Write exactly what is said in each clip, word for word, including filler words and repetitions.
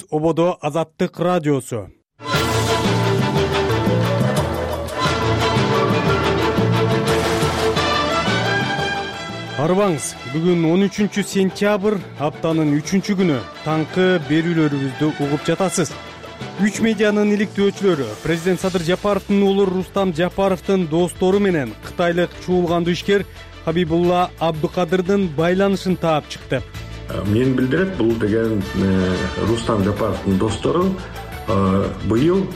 Ободо Азаттык радиосу. Арбаңыз, бүгүн он үчүнчү сентябрь, аптанын үчүнчү күнү. Таңкы берүүлөрүбүздү угуп жатасыз. Үч медианын иликтөөчүлөрү президент Садыр Жапаровдун уулу Рустам Жапаровдун достору менен кытайлык чуулгандуу ишкер Хабибулла Абдыкадырдын байланышын таап чыкты. Мен билдирет, бул деген Рустам Жапаровдун достору быйыл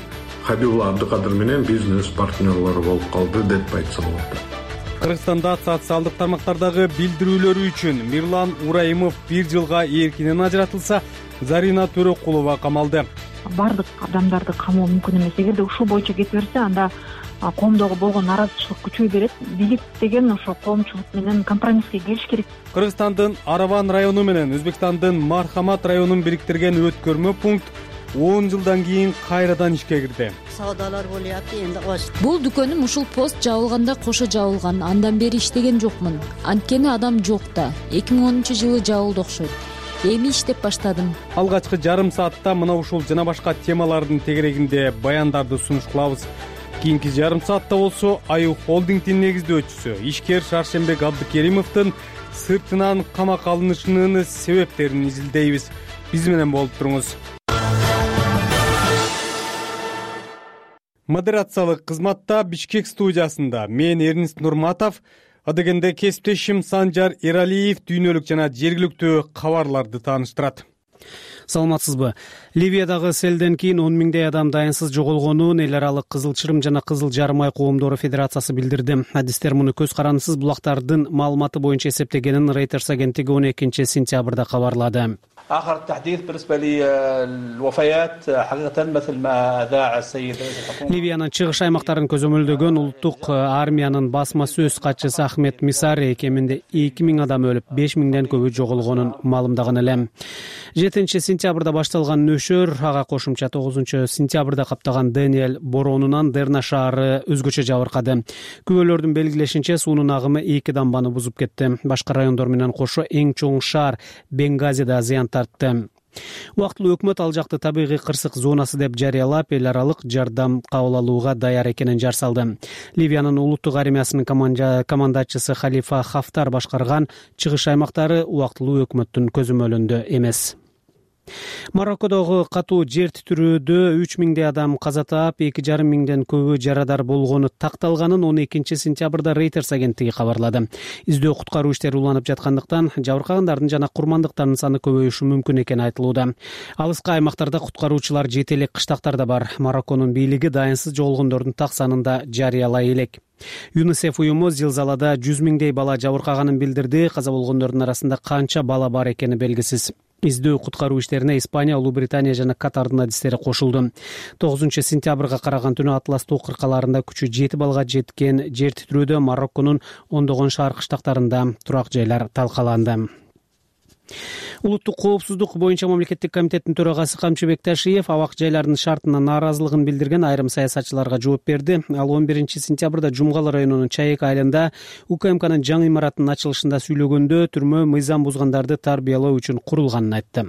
Хабибулла Абдыкадыр менен бизнес партнерлору болуп калды деп айтса болот. Кыргызстанда социалдык тармактардагы билдирүүлөрү үчүн Мирлан Ураимов бир жылга эркинен ажыратылса, Зарина Төрөкулова камалды. Бардык адамдарды камоо мүмкүн эмес. Эгерде ушул боюнча кете берсе, анда коомдогу болгон наразычылык күчөй берет. Бийлик деген ошо коомчулук менен компромисске келиш керек. Кыргызстандын Араван району менен Өзбекстандын Мархамат районун бириктирген өткөрмө пункт он жылдан кийин кайрадан ишке кирди. Саудалар болуп энди оч. Бул дүкөнүм ушул пост жабылганда кошо жабылган. Андан бери иштеген жокмун. Анткени адам жок да. эки миң онунчу жылы жабылды окшойт. Эми иштеп баштадым. Алгачкы жарым саатта мына ушул жана башка темалардын тегерегинде баяндарды сунуш кылабыз. Кийинки жарым саатта болсо Аю холдингдин негиздөөчүсү ишкер Шаршембек Абдыкеримовдун сыртынан камакка алынышынын себептерин изилдейбиз. Биз менен болуп туруңуз. Модерациялык кызматта Бишкек студиясында мен Эрнист Нурматов, адегенде кесиптешим Санжар Эралиев дүйнөлүк жана жергиликтүү кабарларды тааныштырат. Саламатсызбы? Ливиядагы селден кийин он миңдей адам дайынсыз жоголгонун эл аралык Кызыл Чырым жана Кызыл Жарым ай коомдору федерациясы билдирди. Адистер муну көз карандысыз булактардын маалыматы боюнча эсептегенин Reuters агенттиги он экинчи сентябрда кабарлады. آخر التحديث بالنسبة للوفيات حقيقة مثل ما أذاع السيد رئيس الحكومة. Ливиянын чыгыш аймактарын көзөмөлдөгөн улуттук армиянын басма сөз катчысы Ахмет Мисари кеминде эки миң адам өлүп, беш миңден көбү жоголгонун маалымдаган эле. жетинчи сентябрда башталган нөшөр ага кошумча тогузунчу сентябрда каптаган Дэниэль боронунан Дерна шаары өзгөчө жабыркады. Күбөлөрдүн белгилешинче суунун агымы эки дамбаны бузуп кетти. Башка райондор менен кошо эң чоң шаар Бенгазида зыян тартты. Убактылуу өкмөт ал жакты табигый кырсык зонасы деп жарыялап, эл аралык жардам кабыл алууга даяр экенин жар салды. Ливиянын улуттук армиясынын командачысы Халифа Хафтар башкарган чыгыш аймактары убактылуу өкмөттүн көзөмөлүндө эмес. Мароккодогу катуу жер титирөөдө үч миңдей адам каза таап, эки жарым миңден көбү жарадар болгону такталганын он экинчи сентябрда Reuters агенттиги кабарлады. Издөө куткаруу иштери уланып жаткандыктан жабыркагандардын жана курмандыктардын саны көбөйүшү мүмкүн экени айтылууда. Алыскы аймактарда куткаруучулар жете элек кыштактарда бар. Марокконун бийлиги дайынсыз жоголгондордун так санын да жарыялай элек. ЮНИСЕФ уюму зилзалада жүз миңдей бала жабыркаганын билдирди. Каза болгондордун арасында канча бала бар экени белгисиз. Издөө куткаруу иштерине Испания, Улуу Британия жана Катардын адистери кошулду. тогузунчу сентябрга караган түнү Атлас тоо кыркаларында күчү жети балга жеткен жер титирөөдө Марокконун ондогон шаар кыштактарында турак жайлар талкаланды. Улуттук коопсуздук боюнча мамлекеттик комитеттин төрагасы Камчы Бекташиев абак жайлардын шартына нааразылыгын билдирген айрым саясатчыларга жооп берди. Ал он биринчи сентябрда Жумгал районунун Чайек айылында УКМКнын жаңы имаратынын ачылышында сүйлөгөндө түрмө мыйзам бузгандарды тарбиялоо үчүн курулганын айтты.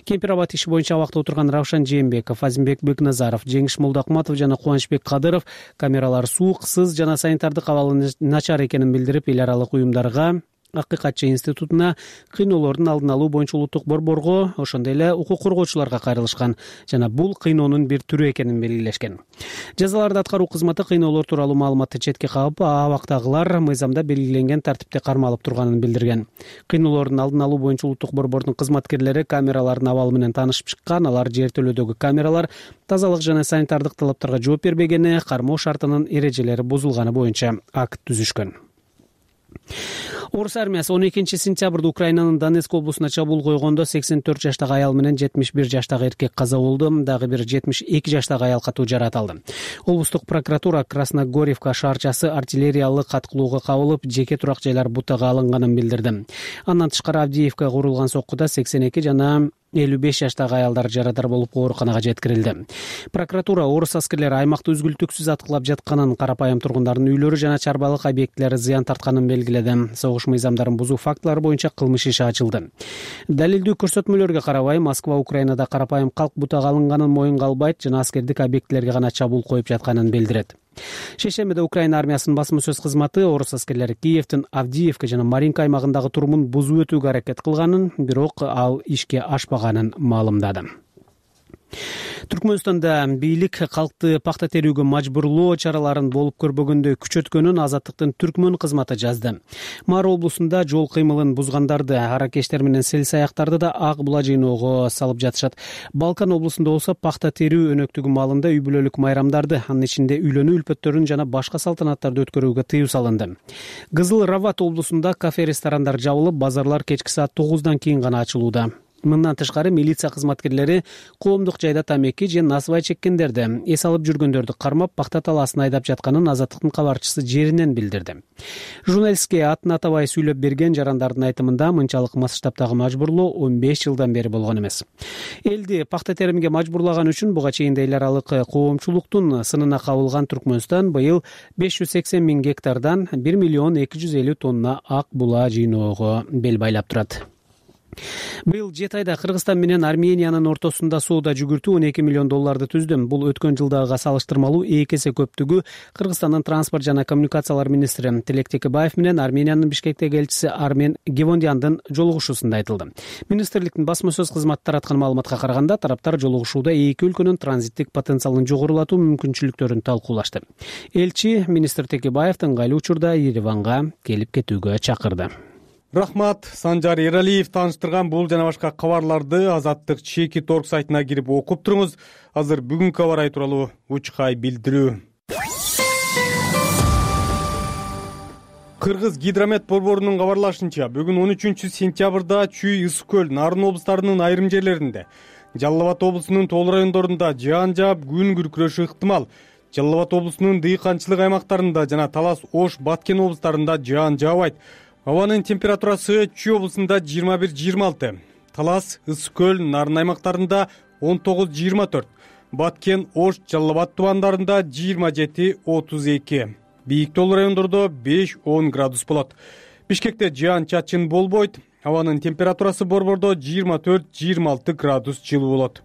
Кемпир-Абад иши боюнча абакта отурган Равшан Жээнбеков, Азимбек Бекназаров, Жеңиш Молдокматов жана Кубанычбек Кадыров камералар суук, сыз жана санитардык абалы начар экенин билдирип, эл аралык уюмдарга, Акыкатчы институтуна, кыйноолордун алдын алуу боюнча улуттук борборго, ошондой эле укук коргоочуларга кайрылышкан жана бул кыйноонун бир түрү экенин белгилешкен. Жазаларды аткаруу кызматы кыйноолор тууралуу маалыматты четке кагып, абактагылар мыйзамда белгиленген тартипте кармалып турганын билдирген. Кыйноолордун алдын алуу боюнча улуттук борбордун кызматкерлери камералардын абалы менен таанышып чыккан. Алар жер төлөөдөгү камералар тазалык жана санитардык талаптарга жооп бербегени, кармоо шартынын эрежелери бузулганы боюнча акт түзүшкөн. Орус армиясы он экинчи сентябрда Украинанын Донецк облусуна чабуул койгондо сексен төрт жаштагы аял менен жетимиш бир жаштагы эркек каза болду. Дагы бир жетимиш эки жаштагы аял катуу жаракат алды. Облустук прокуратура Красногорьевка шаарчасы артиллериялык аткылууга кабылып, жеке турак жайлар бутага алынганын билдирди. Андан тышкары Авдеевка курулган соккуда сексен эки жана элүү беш жаштагы аялдар жарадар болуп ооруканага жеткирилди. Прокуратура орус аскерлери аймакты үзгүлтүксүз аткылап жатканын, карапайым тургундардын үйлөрү жана чарбалык объектилери зыян тартканын белгиледи. Согуш согуш мыйзамдарын бузуу фактылары боюнча кылмыш иши ачылды. Далилдүү көрсөтмөлөргө карабай Москва Украинада карапайым калк бутак алынганын моюнга албайт жана аскердик объектилерге гана чабуул коюп жатканын билдирет. Шейшембиде Украина армиясынын басма сөз кызматы орус аскерлери Киевдин Авдиевка жана Маринка аймагындагы турумун бузуп өтүүгө аракет кылганын, бирок ал ишке ашпаганын маалымдады. Түркмөнстанда бийлик калкты пакта терүүгө мажбурлоо чараларын болуп көрбөгөндөй күчөткөнүн Азаттыктын Түркмөн кызматы жазды. Мара облусунда жол кыймылын бузгандарды, аракештер менен сел саяктарды да ак була жыйноого салып жатышат. Балкан облусунда болсо пакта терүү өнөктүгү маалында үй бүлөлүк майрамдарды, анын ичинде үйлөнүү үлпөттөрүн жана башка салтанаттарды өткөрүүгө тыюу салынды. Кызыл Рават облусунда кафе-ресторандар жабылып, базарлар кечки саат тогуздан кийин гана ачылууда. Мындан тышкары милиция кызматкерлери коомдук жайда тамеки же насыбай чеккендерди, эс алып жүргөндөрдү кармап, пакта талаасын айдап жатканын Азаттыктын кабарчысы жеринен билдирди. Журналистке атын атабай сүйлөп берген жарандардын айтымында мынчалык масштабтагы мажбурлоо он беш жылдан бери болгон эмес. Элди пакта теримге мажбурлаган үчүн буга чейин эл аралык коомчулуктун сынына кабылган Түркмөнстан быйыл беш жүз сексен миң гектардан бир миллион эки жүз элүү тонна ак була жыйноого бел байлап турат. Быйыл жети айда Кыргызстан менен Армениянын ортосунда соода жүгүртүү он эки миллион долларды түздү. Бул өткөн жылдагыга салыштырмалуу эки эсе көптүгү. Кыргызстандын транспорт жана коммуникациялар министри Тилек Текебаев менен Армениянын Бишкектеги элчиси Армен Гевондяндын жолугушуусунда айтылды. Министрликтин басма сөз кызматы тараткан маалыматка караганда, тараптар жолугушууда эки өлкөнүн транзиттик потенциалын жогорулатуу мүмкүнчүлүктөрүн талкуулашты. Элчи министр Текебаевди ыңгайлуу учурда Ереванга келип кетүүгө чакырды. Рахмат, Санжар Эралиев тааныштырган бул жана башка кабарларды Азаттык чеки торг сайтына кирип окуп туруңуз. Азыр бүгүнкү кабар тууралуу учкай билдирүү. Кыргыз гидромет борборунун кабарлашынча, бүгүн он үчүнчү сентябрда Чүй, Ысык көл, Нарын облустарынын айрым жерлеринде, Жалал Абад облусунун Тоол райондорунда жаан жаап, күн күркүрөшү ыктымал. Жалал Абад облусунун дыйканчылык аймактарында жана Талас, Ош, Баткен облустарында жаан жаабайт. Абанын температурасы Чүй облусунда жыйырма бир жыйырма алты, Талас, Ысык көл, Нарын аймактарында он тогуз жыйырма төрт, Баткен, Ош, Жалал Абад тубандарында жыйырма жети отуз эки, бийик тоол райондордо беш он градус болот. Бишкекте жаан чачын болбойт, абанын температурасы борбордо жыйырма төрт жыйырма алты градус жылуу болот.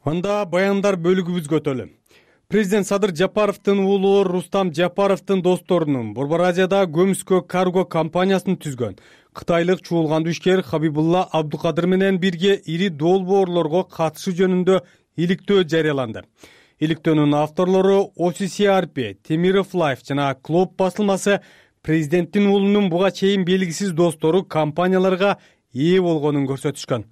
Анда баяндар бөлүгүбүзгө өтөлү. Президент Садыр Жапаровдун уулу Рустам Жапаровдун досторунун Борбор Азияда Көмүскө карго компаниясын түзгөн кытайлык чуулгандуу ишкер Хабибулла Абдукадыр менен бирге ири долбоорлорго катышуу жөнүндө иликтөө жарыяланды. Иликтөөнүн авторлору о си си ар пи, Темиров Лайф жана Клоп басылмасы президенттин уулунун буга чейин белгисиз достору компанияларга ээ болгонун көрсөтүшкөн.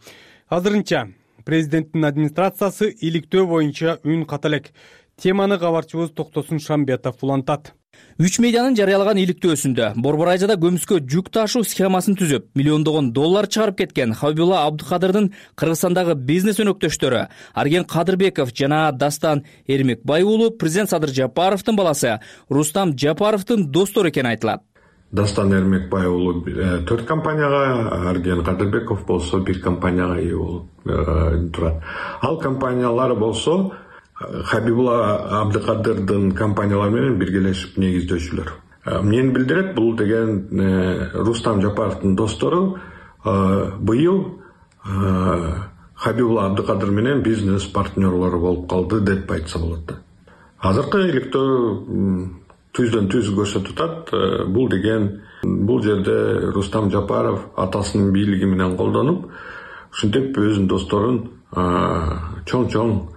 Азырынча президенттин администрациясы иликтөө боюнча үн ката элек. Теманы кабарчыбыз Токтосун Шамбетов улантат. Үч медианын жарыялаган иликтөөсүндө Борбор Азияда көмүскө жүк ташуу схемасын түзүп, миллиондогон доллар чыгарып кеткен Хабибулла Абдукадырдын Кыргызстандагы бизнес өнөктөштөрү Арген Кадырбеков жана Дастан Эрмекбай уулу президент Садыр Жапаровдун баласы Рустам Жапаровдун достору экени айтылат. Дастан Эрмекбай уулу төрт компанияга, Арген Кадырбеков болсо бир компанияга ээ болуп турат. Ал компаниялар болсо Хабибулла Абдукадырдын компаниялары менен биргелешип негиздөөчүлөр. Мен билдирет, бул деген Рустам Жапаровдун достору быйыл Хабибулла Абдукадыр менен бизнес партнерлору болуп калды деп айтса болот. Азыркы иликтөө түздөн түз көрсөтүп атат. Бул деген бул жерде Рустам Жапаров атасынын бийлиги менен колдонуп, ушинтип өзүнүн досторун чоң-чоң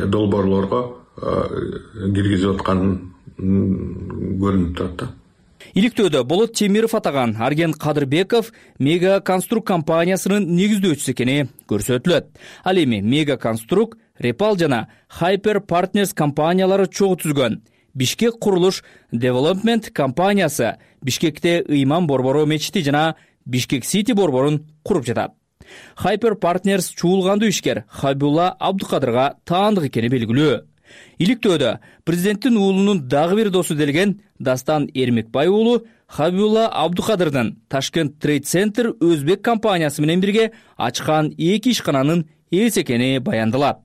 долбоорлорго киргизип атканын көрүнүп турат. Иликтөөдө Болот Темиров атаган Арген Кадырбеков Мега Конструк компаниясынын негиздөөчүсү экени көрсөтүлөт. Ал эми Мега Конструк, Репал жана Hyper Partners компаниялары чогуу түзгөн Бишкек курулуш Development компаниясы Бишкекте ыйман борбору мечити жана Бишкек Сити борборун куруп жатат. Hyper Partners чуулгандуу ишкер Хабибулла Абдукадырга таандык экени белгилүү. Иликтөөдө президенттин уулунун дагы бир досу делген Дастан Эрмекбай уулу Хабибулла Абдукадырдын Ташкент Трейд Центр Өзбек компаниясы менен бирге ачкан эки ишкананын ээси экени баяндалат.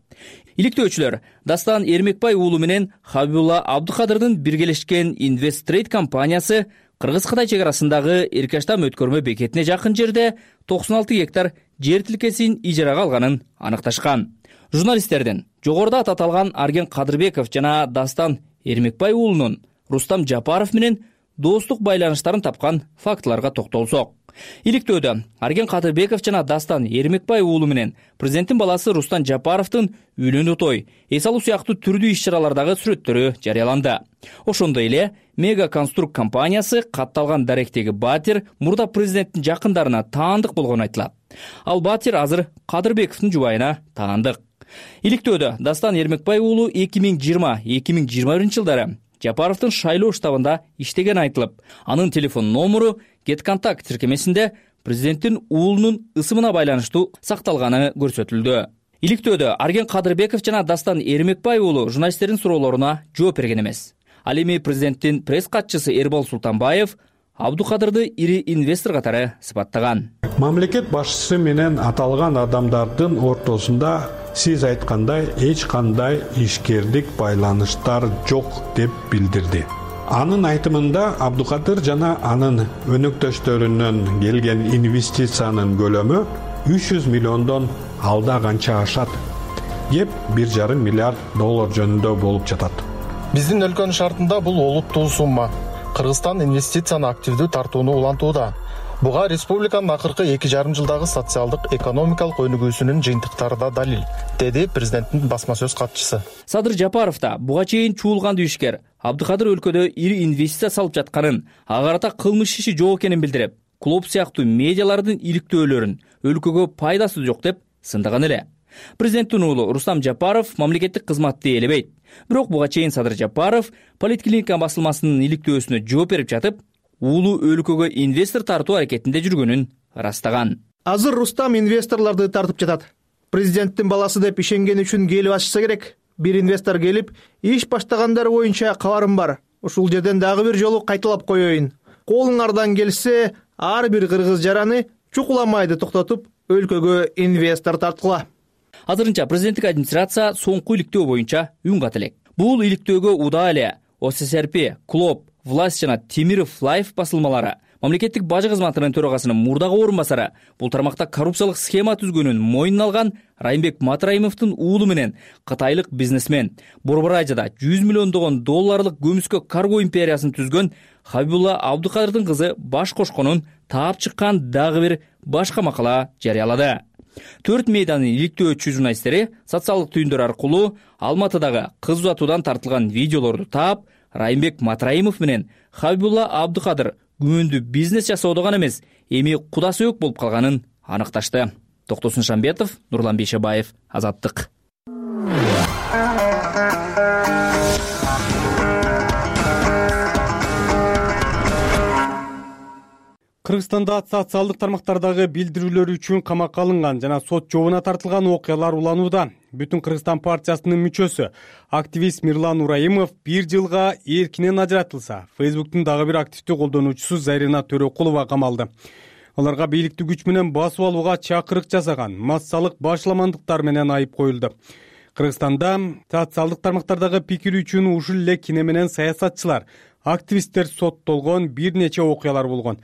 Иликтөөчүлөр Дастан Эрмекбай уулу менен Хабибулла Абдыкадырдын биргелешкен Инвесттрейд компаниясы Кыргыз-Кытай чек арасындагы Эркаштам өткөрмө бекетине жакын жерде токсон алты гектар жер тилкесин ижарага алганын аныкташкан. Журналисттердин жогоруда аталган Арген Кадырбеков жана Дастан Эрмекбай уулунун Рустам Жапаров менен достук байланыштарын тапкан фактыларга токтолсок. Иликтөөдө Арген Кадырбеков жана Дастан Эрмекбай уулу менен президенттин баласы Рустам Жапаровдун үйлөнүү той, эс алуу сыяктуу түрдүү иш-чаралардагы сүрөттөрү жарыяланды. Ошондой эле Мега Конструкт компаниясы катталган даректеги Батир мурда президенттин жакындарына таандык болгону айтылат. Ал Батир азыр Кадырбековдун жубайына таандык. Иликтөөдө Дастан Эрмекбай уулу эки миң жыйырма эки миң жыйырма биринчи жылдары Жапаровдун шайлоо штабында иштеген айтылып, анын телефон номеру GetContact тиркемесинде президенттин уулунун ысымына байланыштуу сакталганы көрсөтүлдү. Иликтөөдө Арген Кадырбеков жана Дастан Эрмекбай уулу журналисттердин суроолоруна жооп берген эмес. Ал эми президенттин пресс катчысы Эрбол Султанбаев Абдыкадырды ири инвестор катары сыпаттаган. Мамлекет башчысы менен аталган адамдардын ортосунда сиз айткандай эч кандай ишкердик байланыштар жок деп билдирди. Анын айтымында Абдыкадыр жана анын өнөктөштөрүнөн келген инвестициянын көлөмү үч жүз миллиондон алда канча ашат, кеп бир жарым миллиард доллар жөнүндө болуп жатат. Биздин өлкөнүн шартында бул олуттуу сумма. Кыргызстан инвестицияны активдүү тартууну улантууда. Буга республиканын акыркы эки жарым жылдагы социалдык экономикалык өнүгүүсүнүн жыйынтыктары да далил, деди президенттин басма сөз катчысы. Садыр Жапаров да буга чейин чуулган ишкер Абдыкадыр өлкөдө ири инвестиция салып жатканын, ага карата кылмыш иши жок экенин билдирип, клуб сыяктуу медиалардын иликтөөлөрүн өлкөгө пайдасы жок деп сындаган эле. Президенттин уулу Рустам Жапаров мамлекеттик кызматты ээлебейт. Бирок буга чейин Садыр Жапаров Политклиника басылмасынын иликтөөсүнө жооп берип жатып, уулу өлкөгө инвестор тартуу аракетинде жүргөнүн ырастаган. Азыр Рустам инвесторлорду тартып жатат. Президенттин баласы деп ишенген үчүн келип ачса керек. Бир инвестор келип, иш баштагандар боюнча кабарым бар. Ушул жерден дагы бир жолу кайталап коеюн. Колуңардан келсе, ар бир кыргыз жараны чукуламайды токтотуп, өлкөгө инвестор тарткыла. Азырынча президенттик администрация соңку иликтөө боюнча үн кат элек. Бул иликтөөгө уда эле О С С Р П, Клоп, Власть жана Темиров Лайф басылмалары, мамлекеттик бажы кызматынын төрагасынын мурдагы орун басары бул тармакта коррупциялык схема түзгөнүн мойнуна алган Райымбек Матраимовдун уулу менен кытайлык бизнесмен Борборайжада жүз миллиондогон долларлык көмүскө карго империясын түзгөн Хабибулла Абдыкадырдын кызы баш кошконун таап чыккан дагы бир башка макала жарыялады. Төрт мейданын иликтөөчү журналисттери социалдык түйүндөр аркылуу Алматыдагы кыз узатуудан тартылган видеолорду таап, Райымбек Матраимов менен Хабибулла Абдыкадыр күмөндүү бизнес жасоодо гана эмес, эми куда сөөк болуп калганын аныкташты. Токтосун Шамбетов, Нурлан Бейшебаев, Азаттык. Кыргызстанда социалдык тармактардагы билдирүүлөр үчүн камакка алынган жана сот жообуна тартылган окуялар уланууда. Бүтүн Кыргызстан партиясынын мүчөсү, активист Мирлан Ураимов бир жылга эркинен ажыратылса, Фейсбуктун дагы бир активдүү колдонуучусу Зарина Төрөкулова камалды. Аларга бийликти күч менен басып алууга чакырык жасаган, массалык башламандыктар менен айып коюлду. Кыргызстанда социалдык тармактардагы пикир үчүн ушул эле кине менен саясатчылар, активисттер соттолгон бир нече окуялар болгон.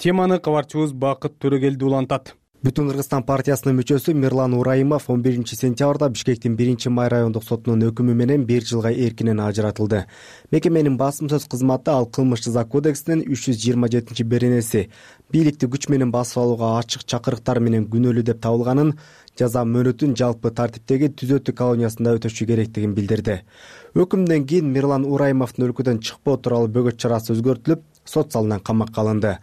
Теманы кабарчыбыз Бакыт Төрөгелди улантат. Бүтүн Кыргызстан партиясынын мүчөсү Мирлан Ураимов он биринчи сентябрда Бишкектин биринчи май райондук сотунун өкүмү менен бир жылга эркинен ажыратылды. Мекеменин басым сөз кызматы ал кылмыш жаза кодексинин үч жүз жыйырма жетинчи беренеси бийликти күч менен басып алууга ачык чакырыктар менен күнөөлүү деп табылганын, жаза мөөнөтүн жалпы тартиптеги түзөтүү колониясында өтөшү керектигин билдирди. Өкүмдөн кийин Мирлан Ураимовдун өлкөдөн чыкпоо тууралуу бөгөт чарасы өзгөртүлүп, сот залынан камакка алынды.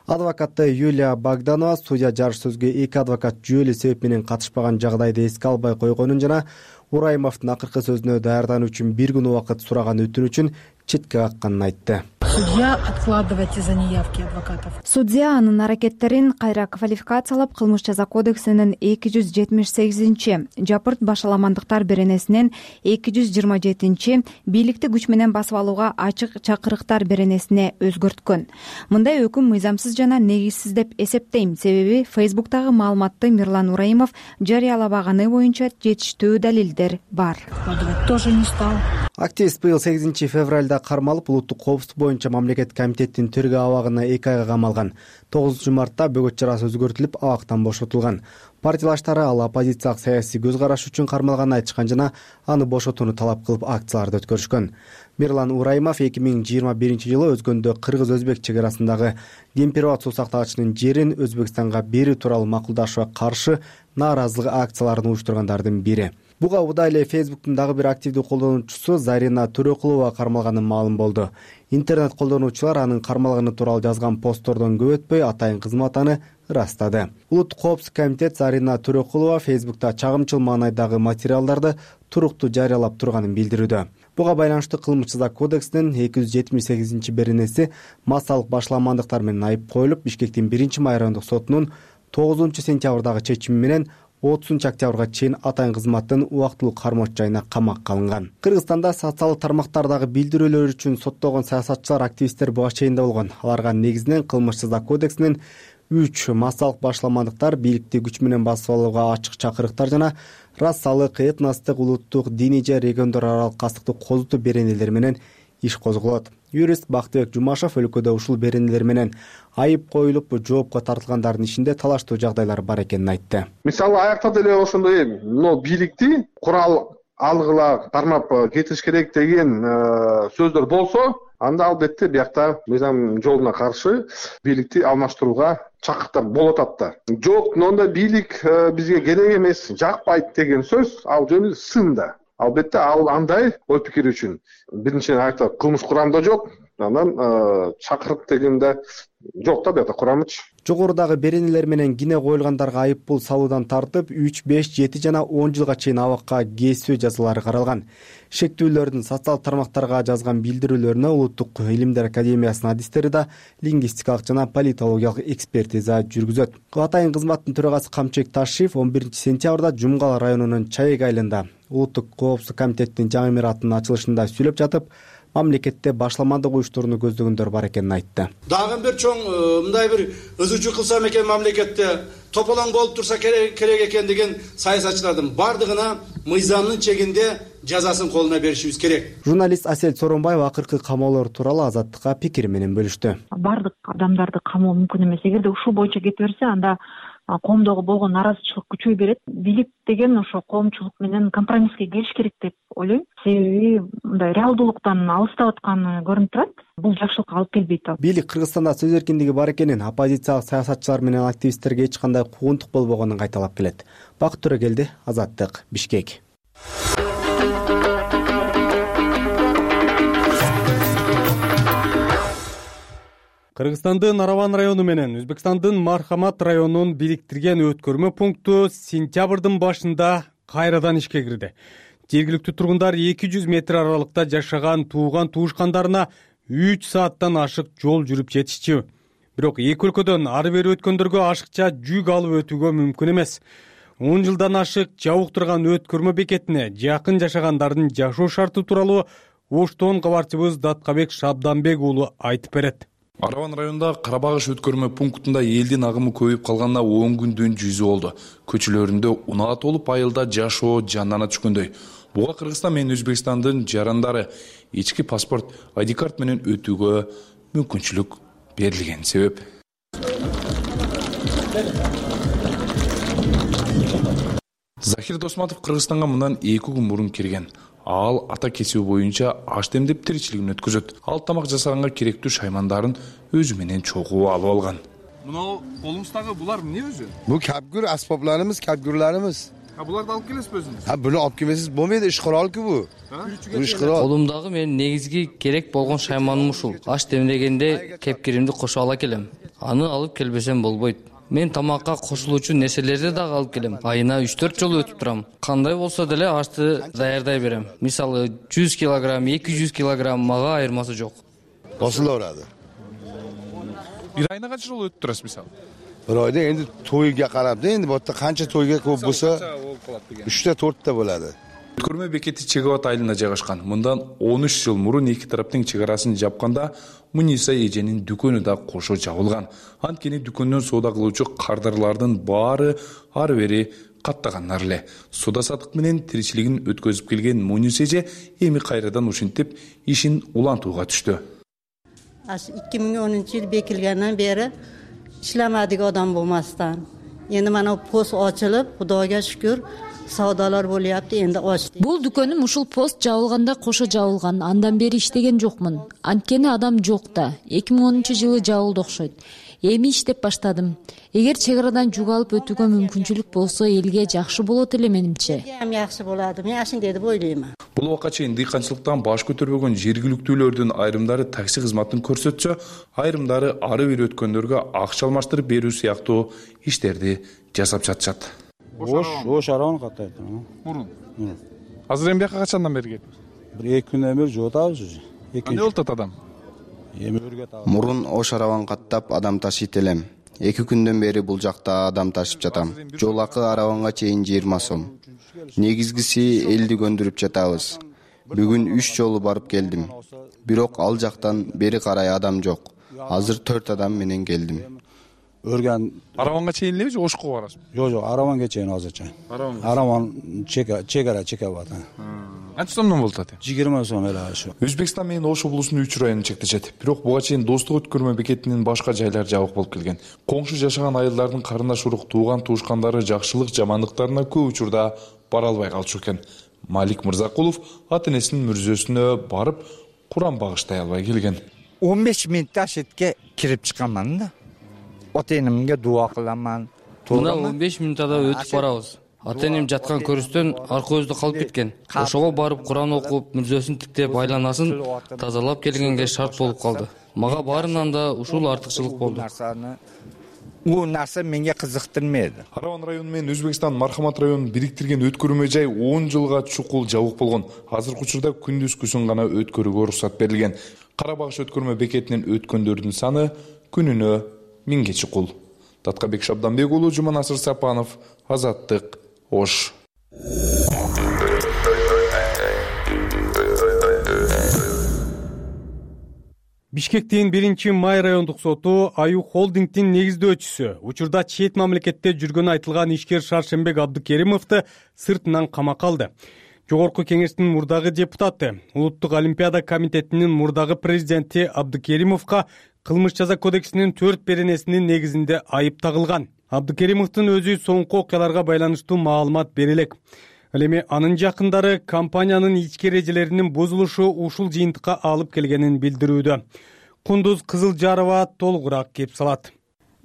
Адвокаты Юлия Богданова судья жарыш сөзгө эки адвокат жүйөлүү себеп менен катышпаган жагдайды эске албай койгонун жана Ураимовдун акыркы сөзүнө даярдануу үчүн бир күн убакыт сураган өтүнүчүн четке какканын айтты. судья откладывать из-за неявки адвокатов. Судья анын аракеттерин кайра квалификациялап, кылмыш жаза кодексинин эки жүз жетимиш сегизинчи жапырт башаламандыктар беренесинен эки жүз жыйырма жетинчи бийликти күч менен басып алууга ачык чакырыктар беренесине өзгөрткөн. Мындай өкүм мыйзамсыз жана негизсиз деп эсептейм, себеби Фейсбуктагы маалыматты Мирлан Ураимов жарыялабаганы боюнча жетиштүү далилдер бар. Тоже не стал. Активист быйыл сегизинчи февралда кармалып, улуттук коопсуздук боюнча мамлекет комитеттин тергөө абагына эки айга камалган. тогузунчу мартта бөгөт чарасы өзгөртүлүп, абактан бошотулган. Партиялаштары ал оппозициялык саясий көз караш үчүн кармалганын айтышкан жана аны бошотууну талап кылып акцияларды өткөрүшкөн. Мирлан Ураимов эки миң жыйырма биринчи жылы өзгөндө кыргыз-өзбек чек арасындагы Демпирбат суу сактагычынын жерин Өзбекстанга берүү тууралуу макулдашууга каршы нааразылык акцияларын уюштургандардын бири. Буга убада эле Фейсбуктун дагы бир активдүү колдонуучусу Зарина Төрөкулова кармалганы маалым болду. Интернет колдонуучулар анын кармалганы тууралуу жазган посттордон көп өтпөй атайын кызмат аны ырастады. Улуттук коопсуздук комитет Зарина Төрөкулова Фейсбукта чагымчыл маанайдагы материалдарды туруктуу жарыялап турганын билдирүүдө. Буга байланыштуу кылмыш жаза кодексинин эки жүз жетимиш сегизинчи беренеси массалык башаламандыктар менен айып коюлуп, Бишкектин биринчи май райондук сотунун тогузунчу сентябрдагы чечими менен отузунчу октябрга чейин атайын кызматтын убактылуу кармоочу жайына камакка алынган. Кыргызстанда социалдык тармактардагы билдирүүлөр үчүн соттолгон саясатчылар, активисттер буга чейин да болгон. Аларга негизинен кылмыш жаза кодексинин үч массалык башаламандыктар, бийликти күч менен басып алууга ачык чакырыктар жана расалык, этностук, улуттук, диний же региондор аралык кастыкты козутуу беренелери менен иш козголот. Юрист Бактыбек Жумашев өлкөдө ушул беренелер менен айып коюлуп, жоопко тартылгандардын ишинде талаштуу жагдайлар бар экенин айтты. Мисалы аякта деле ошондой, но бийликти курал алгыла кармап кетиш керек деген сөздөр болсо, анда албетте биякта мыйзам жолуна каршы бийликти алмаштырууга чакырыктар болот атта. Жок, монда бийлик бизге керек эмес, жакпайт деген сөз ал жөнү сын да. Албетте ал андай ой пикир үчүн биринчиден айта кылмыш курамда жок, анан чакырык дегенде жок да бuyakta курамычы. Жогорудагы беренелер менен кине коюлгандарга айып пул салуудан тартып үч, беш, жети жана он жылга чейин абакка кесүү жазалары каралган. Шектүүлөрдүн социалдык тармактарга жазган билдирүүлөрүнө Улуттук илимдер академиясынын адистери да лингвистикалык жана политологиялык экспертиза жүргүзөт. Атайын кызматтын төрагасы Камчыбек Ташиев он биринчи сентябрда Жумгал районунун Чайек айылында Улуттук коопсуздук комитеттин жаңы имараттын ачылышында сүйлөп жатып, мамлекетте башаламандык уюштурууну көздөгөндөр бар экенин айтты. Дагы бир чоң мындай бир өзүчү кылсам экен мамлекетте тополоң болуп турса керек экен деген саясатчылардын бардыгына мыйзамдын чегинде жазасын колуна беришибиз керек. Журналист Асель Соронбаева акыркы камоолор тууралуу Азаттыкка пикир менен бөлүштү. Бардык адамдарды камоо мүмкүн эмес. Эгерде ушул боюнча кете берсе, анда коомдогу болгон наразычылык күчөй берет. Бийлик деген ошо коомчулук менен компромисске келиш керек деп ойлойм. Себеби мындай реалдуулуктан алыстап атканы көрүнүп турат. Бул жакшылыкка алып келбейт. Бийлик Кыргызстанда сөз эркиндиги бар экенин, оппозициялык саясатчылар менен активисттерге эч кандай куугунтук болбогонун кайталап келет. Бакыт Төрөгелди, Азаттык, Бишкек. Кыргызстандын Араван району менен Өзбекстандын Мархамат районун бириктирген өткөрмө пункту сентябрдын башында кайрадан ишке кирди. Жергиликтүү тургундар эки жүз метр аралыкта жашаган тууган туушкандарына үч сааттан ашык жол жүрүп жетишчү. Бирок эки өлкөдөн ары бери өткөндөргө ашыкча жүк алып өтүүгө мүмкүн эмес. он жылдан ашык жабык турган өткөрмө бекетине жакын жашагандардын жашоо шарты тууралуу Оштон кабарчыбыз Даткабек Шабданбек уулу айтып берет. Араван районунда Карабагыш өткөрмө пунктунда элдин агымы көбөйүп калганына он күндөн жүзү болду. Көчөлөрүндө унаат болуп, айылда жашоо жандана түшкөндөй. Буга Кыргызстан менен Өзбекстандын жарандары ички паспорт, ай ди карт менен өтүүгө мүмкүнчүлүк берилген себеп. Захир Досматов Кыргызстанга мындан эки күн мурун кирген. Ал ата кесиби боюнча аш демдеп тиричилигин өткөзөт. Ал тамак жасаганга керектүү шаймандарын өзү менен чогуу алып алган. Мына колуңуздагы булар эмне өзү? Бу капгүр аспапларыбыз, капгүрлөрүбүз. А буларды алып келесизби өзүңүз? Ha, буну алып келбесиз болбойт, иш курал-ку бу. Иш курал. Колумдагы менин негизги керек болгон шайманым ушул. Аш демдегенде кепкиримди кошо ала келем. Аны алып келбесем болбойт. Мен тамакка кошулуучу нерселерди дагы алып келем. Айына үч төрт жолу өтүп турам. Кандай болсо деле ашты даярдай берем. Мисалы жүз килограмм, эки жүз килограмм мага айырмасы жок. косула берadi. Bir ayına kaç жол өтүп турасыз мисалы? Bir oyda endi to'yga qarab da, endi bu yerda qancha to'yga ko'p bo'lsa, uchta to'rtta bo'ladi. Өткөрмө бекети Чек Абад айылында жайгашкан. Мындан он үч жыл мурун эки тараптын чек арасын жапканда Муниса эженин дүкөнү да кошо жабылган. Анткени дүкөндөн соода кылуучу кардарлардын баары ары бери каттагандар эле. Соода сатык менен тиричилигин өткөзүп келген Муниса эже эми кайрадан ушинтип ишин улантууга түштү. ikki ming o'ninchi yil bekilgandan beri ishlamadik odam bo'lmasdan. Endi mana post ochilib, Xudoga shukr, savdolar bo'lyapti, endi ochdik. Бул дүкөнүм ушул пост жабылганда кошо жабылган. Андан бери иштеген жокмун. Анткени адам жок да. эки миң онунчу жылы жабылды окшойт. Эми иштеп баштадым. Эгер чек арадан жүк алып өтүүгө мүмкүнчүлүк болсо, элге жакшы болот эле менимче. Эми жакшы болот. Мен ашындай деп ойлоймун. Бул убакка чейин дыйканчылыктан баш көтөрбөгөн жергиликтүүлөрдүн айрымдары такси кызматын көрсөтсө, айрымдары ары бери өткөндөргө акча алмаштырып берүү сыяктуу иштерди жасап жатышат. Ош, ош арабаны каттайт. Мурун. Азыр эми бияка качандан бери келип? Бир эки күндөн бери жотабыз уже. Эмне болуп атат адам? Эми өргөт алып. Мурун ош арабан каттап адам ташыйт элем. эки күндөн бери бул жакта адам ташып жатам. Жол акы арабанга чейин жыйырма сом. Негизгиси элди көндүрүп жатабыз. Бүгүн үч жолу барып келдим. Бирок ал жактан бери карай адам жок. Азыр төрт адам менен келдим. Өргөн арабанга чейин элеби же Ошко барасыз? Жок, жок, арабанга чейин азырча. Арабан чека чекара чека бат. Канча сомдон болуп атат? жыйырма сом эле ашы. Өзбекстан менен Ош облусунун үч району чектешет. Бирок буга чейин достук өткөрмө бекетинин башка жайлары жабык болуп келген. Коңшу жашаган айылдардын карындаш урук тууган туушкандары жакшылык жамандыктарына көп учурда бара албай калчу экен. Малик Мырзакулов ата энесинин мүрзөсүнө барып Куран багыштай албай келген. он беш мүнөттө шетке кирип чыкканмын да. Ата энемге дуа кыламан. Мына он беш мүнөттө өтүп барабыз. Ата энем жаткан көрүстөн арка өздө калып кеткен. Ошого барып Куран окуп, мүрзөсүн тиктеп, айланасын тазалап келгенге шарт болуп калды. Мага баарынан да ушул артыкчылык болду. Бул нерсе менге кызыктырмайды. Арабан району менен Өзбекстан Мархамат районун бириктирген өткөрмө жай он жылга чукул жабык болгон. Азыркы учурда күндүзгүсүн гана өткөрүүгө уруксат берилген. Кара багыш өткөрмө бекетинен өткөндөрдүн саны күнүнө миңге чукул. Таткабек Шабданбек уулу, Жуманасыр Сапанов, Азаттык, Ош. Бишкектин биринчи май райондук соту Аю холдингдин негиздөөчүсү, учурда чет мамлекетте жүргөнү айтылган ишкер Шаршенбек Абдыкеримовду сыртынан камакка алды. Жогорку кеңештин мурдагы депутаты, Улуттук олимпиада комитетинин мурдагы президенти Абдыкеримовго кылмыш жаза кодексинин төрт беренесинин негизинде айып тагылган. Абдыкеримовдун өзү соңку окуяларга байланыштуу маалымат бере элек. Ал эми анын жакындары компаниянын ички эрежелеринин бузулушу ушул жыйынтыкка алып келгенин билдирүүдө. Кундуз Кызылжарова толугураак кеп салат.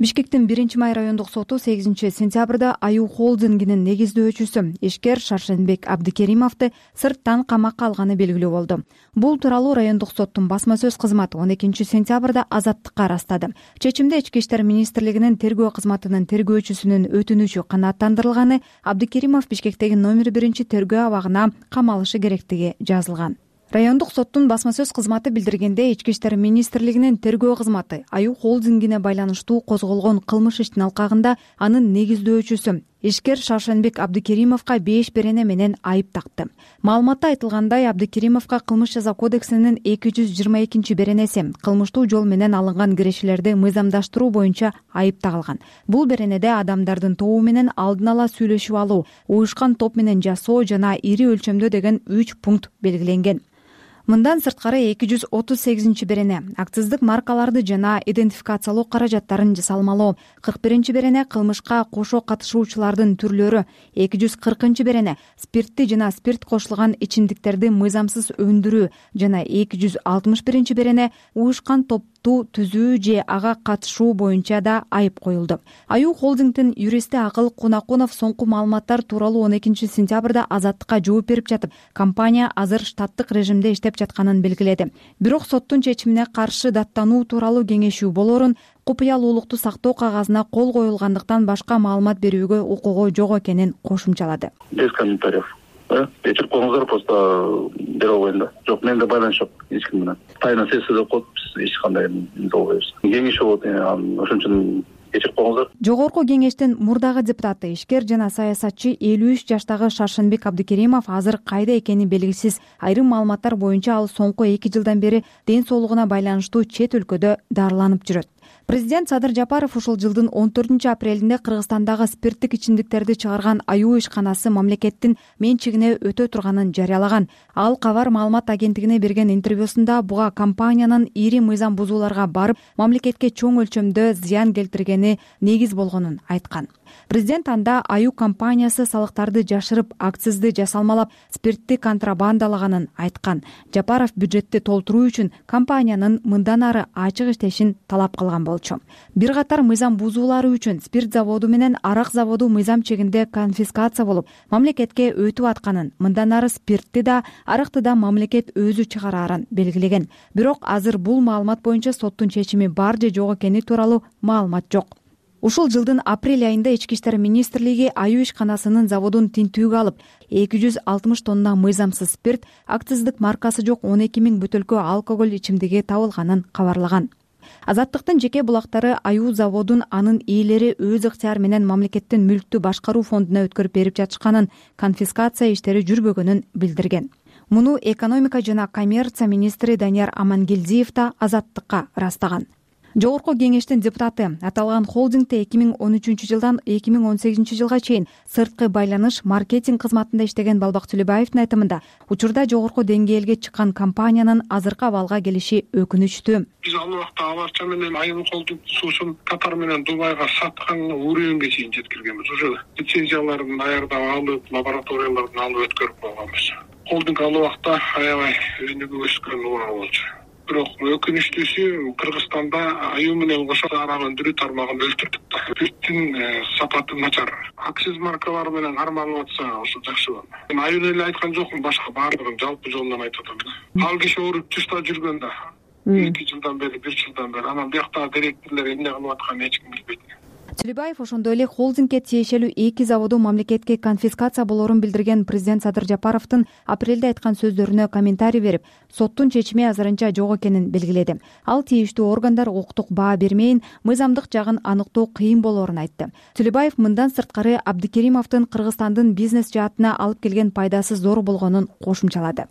Бишкектин биринчи май райондук соту сегизинчи сентябрда Аю холдингинин негиздөөчүсү ишкер Шаршенбек Абдыкеримовду сырттан камакка алганы белгилүү болду. Бул тууралуу райондук соттун басма сөз кызматы он экинчи сентябрда Азаттыкка ырастады. Чечимде Ички иштер министрлигинин тергөө кызматынын тергөөчүсүнүн өтүнүчү канааттандырылганы, Абдыкеримов Бишкектеги номер биринчи тергөө абагына камалышы керектиги жазылган. Райондук соттун басма сөз кызматы билдиргенде, Ички иштер министрлигинин тергөө кызматы Аю холдингине байланыштуу козголгон кылмыш иштин алкагында анын негиздөөчүсү ишкер Шаршенбек Абдыкеримовго беш берене менен айып такты. Маалыматта айтылгандай, Абдыкеримовго кылмыш жаза кодексинин эки жүз жыйырма экинчи беренеси кылмыштуу жол менен алынган кирешелерди мыйзамдаштыруу боюнча айып тагылган. Бул беренеде адамдардын тобу менен алдын ала сүйлөшүп алуу, уюшкан топ менен жасоо жана ири өлчөмдө деген үч пункт белгиленген. Мындан сырткары эки жүз отуз сегизинчи берене акциздик маркаларды жана идентификациялоо каражаттарын жасалмалоо, кырк биринчи берене кылмышка кошо катышуучулардын түрлөрү, эки жүз кыркынчы берене спиртти жана спирт кошулган ичимдиктерди мыйзамсыз өндүрүү жана эки жүз алтымыш биринчи берене уюшкан топ түзүү же ага катышуу боюнча да айып коюлду. Аю холдингдин юристи Акыл Кунакунов соңку маалыматтар тууралуу он экинчи сентябрда Азаттыкка жооп берип жатып, компания азыр штаттык режимде иштеп жатканын белгиледи. Бирок соттун чечимине каршы даттануу тууралуу кеңешүү болорун, купуялуулукту сактоо кагазына кол коюлгандыктан башка маалымат берүүгө укугу жок экенин кошумчалады. Без комментариев. өчүрүп коюңуздар, просто бере албайм да. Жок, менде байланыш жок эч ким менен. Тайна сессия деп коет, биз эч кандай эмне албайбыз. Кеңеш болот, ошон үчүн кечирип коюңуздар. Жогорку кеңештин мурдагы депутаты, ишкер жана саясатчы элүү үч жаштагы Шаршенбек Абдыкеримов азыр кайда экени белгисиз. Айрым маалыматтар боюнча ал соңку эки жылдан бери ден соолугуна байланыштуу чет өлкөдө дарыланып жүрөт. Президент Садыр Жапаров ушул жылдын он төртүнчү апрелинде Кыргызстандагы спирттик ичимдиктерди чыгарган аюу ишканасы мамлекеттин менчигине өтө турганын жарыялаган. Ал Кабар маалымат агенттигине берген интервьюсунда буга компаниянын ири мыйзам бузууларга барып, мамлекетке чоң өлчөмдө зыян келтиргени негиз болгонун айткан. Президент анда аюу компаниясы салыктарды жашырып, акцизди жасалмалап, спиртти контрабандалаганын айткан. Жапаров бюджетти толтуруу үчүн компаниянын мындан ары ачык иштешин талап кылган болчу. Бир катар мыйзам бузуулары үчүн спирт заводу менен арак заводу мыйзам чегинде конфискация болуп, мамлекетке өтүп атканын, мындан ары спиртти да, аракты да мамлекет өзү чыгарарын белгилеген. Бирок азыр бул маалымат боюнча соттун чечими бар же жок экени тууралуу маалымат жок. Ушул жылдын апрель айында Ички иштер министрлиги аюу ишканасынын заводун тинтүүгө алып, эки жүз алтымыш тонна мыйзамсыз спирт, акциздик маркасы жок он эки миң бөтөлкө алкоголь ичимдиги табылганын кабарлаган. Азаттыктын жеке булактары аюу заводун анын ээлери өз ыктыяры менен мамлекеттин мүлктү башкаруу фондуна өткөрүп берип жатышканын, конфискация иштери жүрбөгөнүн билдирген. Муну экономика жана коммерция министри Данияр Амангелдиев да Азаттыкка ырастаган. Жогорку кеңештин депутаты аталган холдингде эки миң он үчүнчү жылдан эки миң он сегизинчи жылга чейин сырткы байланыш маркетинг кызматында иштеген Балбак Түлөбаевдин айтымында, учурда жогорку деңгээлге чыккан компаниянын азыркы абалга келиши өкүнүчтүү. Биз ал убакта Аларча менен Айыл холдинг суусун Катар менен Дубайга саткан уровеньге чейин жеткиргенбиз. Уже лицензияларын даярдап алып, лабораторияларын алып өткөрүп койгонбуз. Холдинг ал убакта аябай өнүгүп өскөн убак болчу. Бирок өкүнүчтүүсү Кыргызстанда аюу менен кошо арак өндүрүү тармагын өлтүрдүк да. Спирттин сапаты начар. Акциз маркалары менен кармалып атса, ошо жакшы болот. Мен аюуну эле айткан жокмун, башка баардыгын жалпы жолунан айтып атам да. Ал киши ооруп тышта жүргөн да. эки жылдан бери, бир жылдан бери. Анан бияктагы директорлор эмне кылып атканын эч ким билбейт. Түлөбаев ошондой эле холдингге тиешелүү эки заводу мамлекетке конфискация болоорун билдирген президент Садыр Жапаровдун апрелде айткан сөздөрүнө комментарий берип, соттун чечими азырынча жок экенин белгиледи. Ал тийиштүү органдар укуктук баа бермейин, мыйзамдык жагын аныктоо кыйын болоорун айтты. Түлөбаев мындан сырткары Абдыкеримовдун Кыргызстандын бизнес жаатына алып келген пайдасы зор болгонун кошумчалады.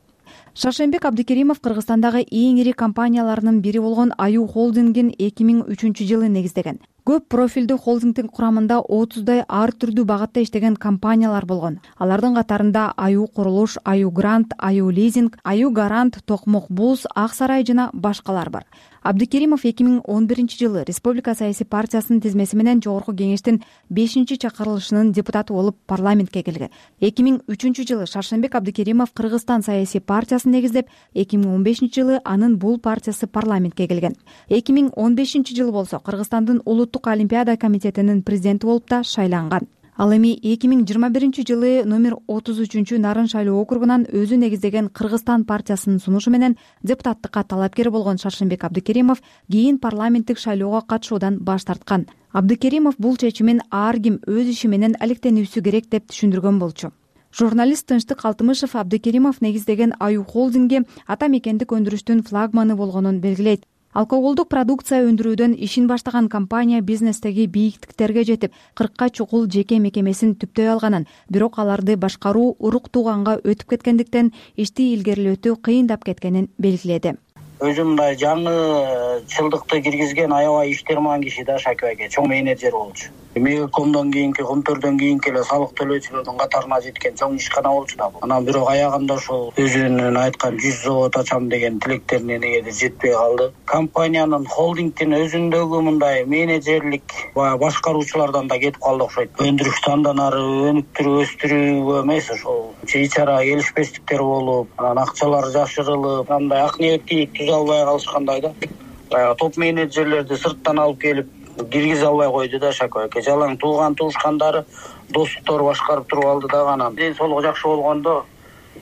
Шаршенбек Абдыкеримов Кыргызстандагы эң ири компанияларынын бири болгон аюу холдингин эки миң үчүнчү жылы негиздеген. Көп профилдүү холдингдин курамында отуздай ар түрдүү багатта иштеген компаниялар болгон. Алардын катарында Аюу Курулуш, Аюу Грант, Аюу Лизинг, Аюу Гарант, Токмок Булс, Ак Сарай жана башкалар бар. Абдыкеримов эки миң он биринчи жылы Республика саясий партиясынын тизмеси менен жогорку кеңештин бешинчи чакырылышынын депутаты болуп парламентке келген. эки миң үчүнчү жылы Шаршенбек Абдыкеримов Кыргызстан саясий партиясын негиздеп, эки миң он бешинчи жылы анын бул партиясы парламентке келген. эки миң он бешинчи жылы болсо Кыргызстандын улуттук олимпиада комитетинин президенти болуп да шайланган. Ал эми эки миң жыйырма биринчи жылы номер отуз үчүнчү Нарын шайлоо округунан өзү негиздеген Кыргызстан партиясынын сунушу менен депутаттыкка талапкер болгон Шаршенбек Абдыкеримов кийин парламенттик шайлоого катышуудан баш тарткан. Абдыкеримов бул чечимин ар ким өз иши менен алектенүүсү керек деп түшүндүргөн болчу. Журналист Тынчтык Алтымышев Абдыкеримов негиздеген аюу холдингге ата мекендик өндүрүштүн флагманы болгонун белгилейт. Алкоголдук продукция өндүрүүдөн ишин баштаган компания бизнестеги бийиктиктерге жетип, кыркка чукул жеке мекемесин түптөй алганын, бирок аларды башкаруу урук тууганга өтүп кеткендиктен ишти илгерилетүү кыйындап кеткенин белгиледи. Өзү мындай жаңы чылдыкты киргизген аябай иштерман киши да Шакир аке, чоң менеджер болчу. Мегакомдон кийинки, Комтөрдөн кийинки эле салык төлөөчүлөрдүн катарына жеткен чоң ишкана болчу да бул. Анан бирок аягында ошол өзүнүн айткан жүз завод ачам деген тилектерине негеде жетпей калды. Компаниянын холдингдин өзүндөгү мындай менеджерлик башкаруучулардан да кетип калды окшойт. Өндүрүштү андан ары өнүктүрүп өстүрүүгө эмес, ошол чыйчара келишпестиктер болуп, анан акчалар жашырылып, андай ак ниеттүүлүк түзө албай калышкандай да. Баягы топ менеджерлерди сырттан алып келип киргизе албай койду да Шакир аке. Жалаң тууган туушкандары, достуктор башкарып туруп алды да. Анан ден соолугу жакшы болгондо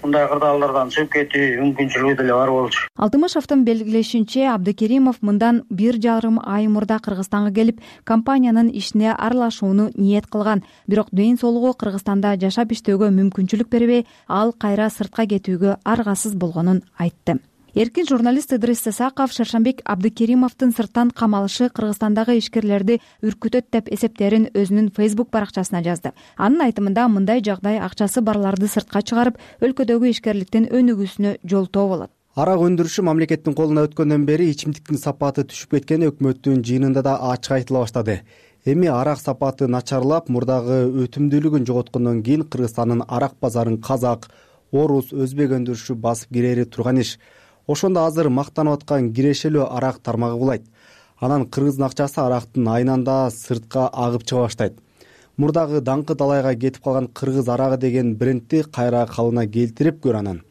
мындай кырдаалдардан чыгып кетүү мүмкүнчүлүгү деле бар болчу. Алтымышевдин белгилешинче, Абдыкеримов мындан бир жарым ай мурда Кыргызстанга келип, компаниянын ишине аралашууну ниет кылган. Бирок ден соолугу Кыргызстанда жашап иштөөгө мүмкүнчүлүк бербей, ал кайра сыртка кетүүгө аргасыз болгонун айтты. Эркин журналист Ыдрис Сысаков Шершенбек Абдыкеримовдун сырттан камалышы Кыргызстандагы ишкерлерди үркүтөт деп эсептерин өзүнүн Facebook баракчасына жазды. Анын айтымында мындай жагдай акчасы барларды сыртка чыгарып, өлкөдөгү ишкерликтин өнүгүүсүнө жолтоо болот. Арак өндүрүшү мамлекеттин колуна өткөндөн бери ичимдиктин сапаты түшүп кеткени өкмөттүн жыйынында да ачык айтыла баштады. Эми арак сапаты начарлап, мурдагы өтүмдүүлүгүн жоготкондон кийин Кыргызстандын арак базарын казак, орус, өзбек өндүрүшү басып кирери турган иш. Ошондо азыр мактанып аткан кирешелүү арак тармагы булайт. Анан кыргыздын акчасы арактын айнанда сыртка агып чыга баштайт. Мурдагы даңкы далайга кетип калган кыргыз арагы деген брендти кайра калыбына келтирип көр анан.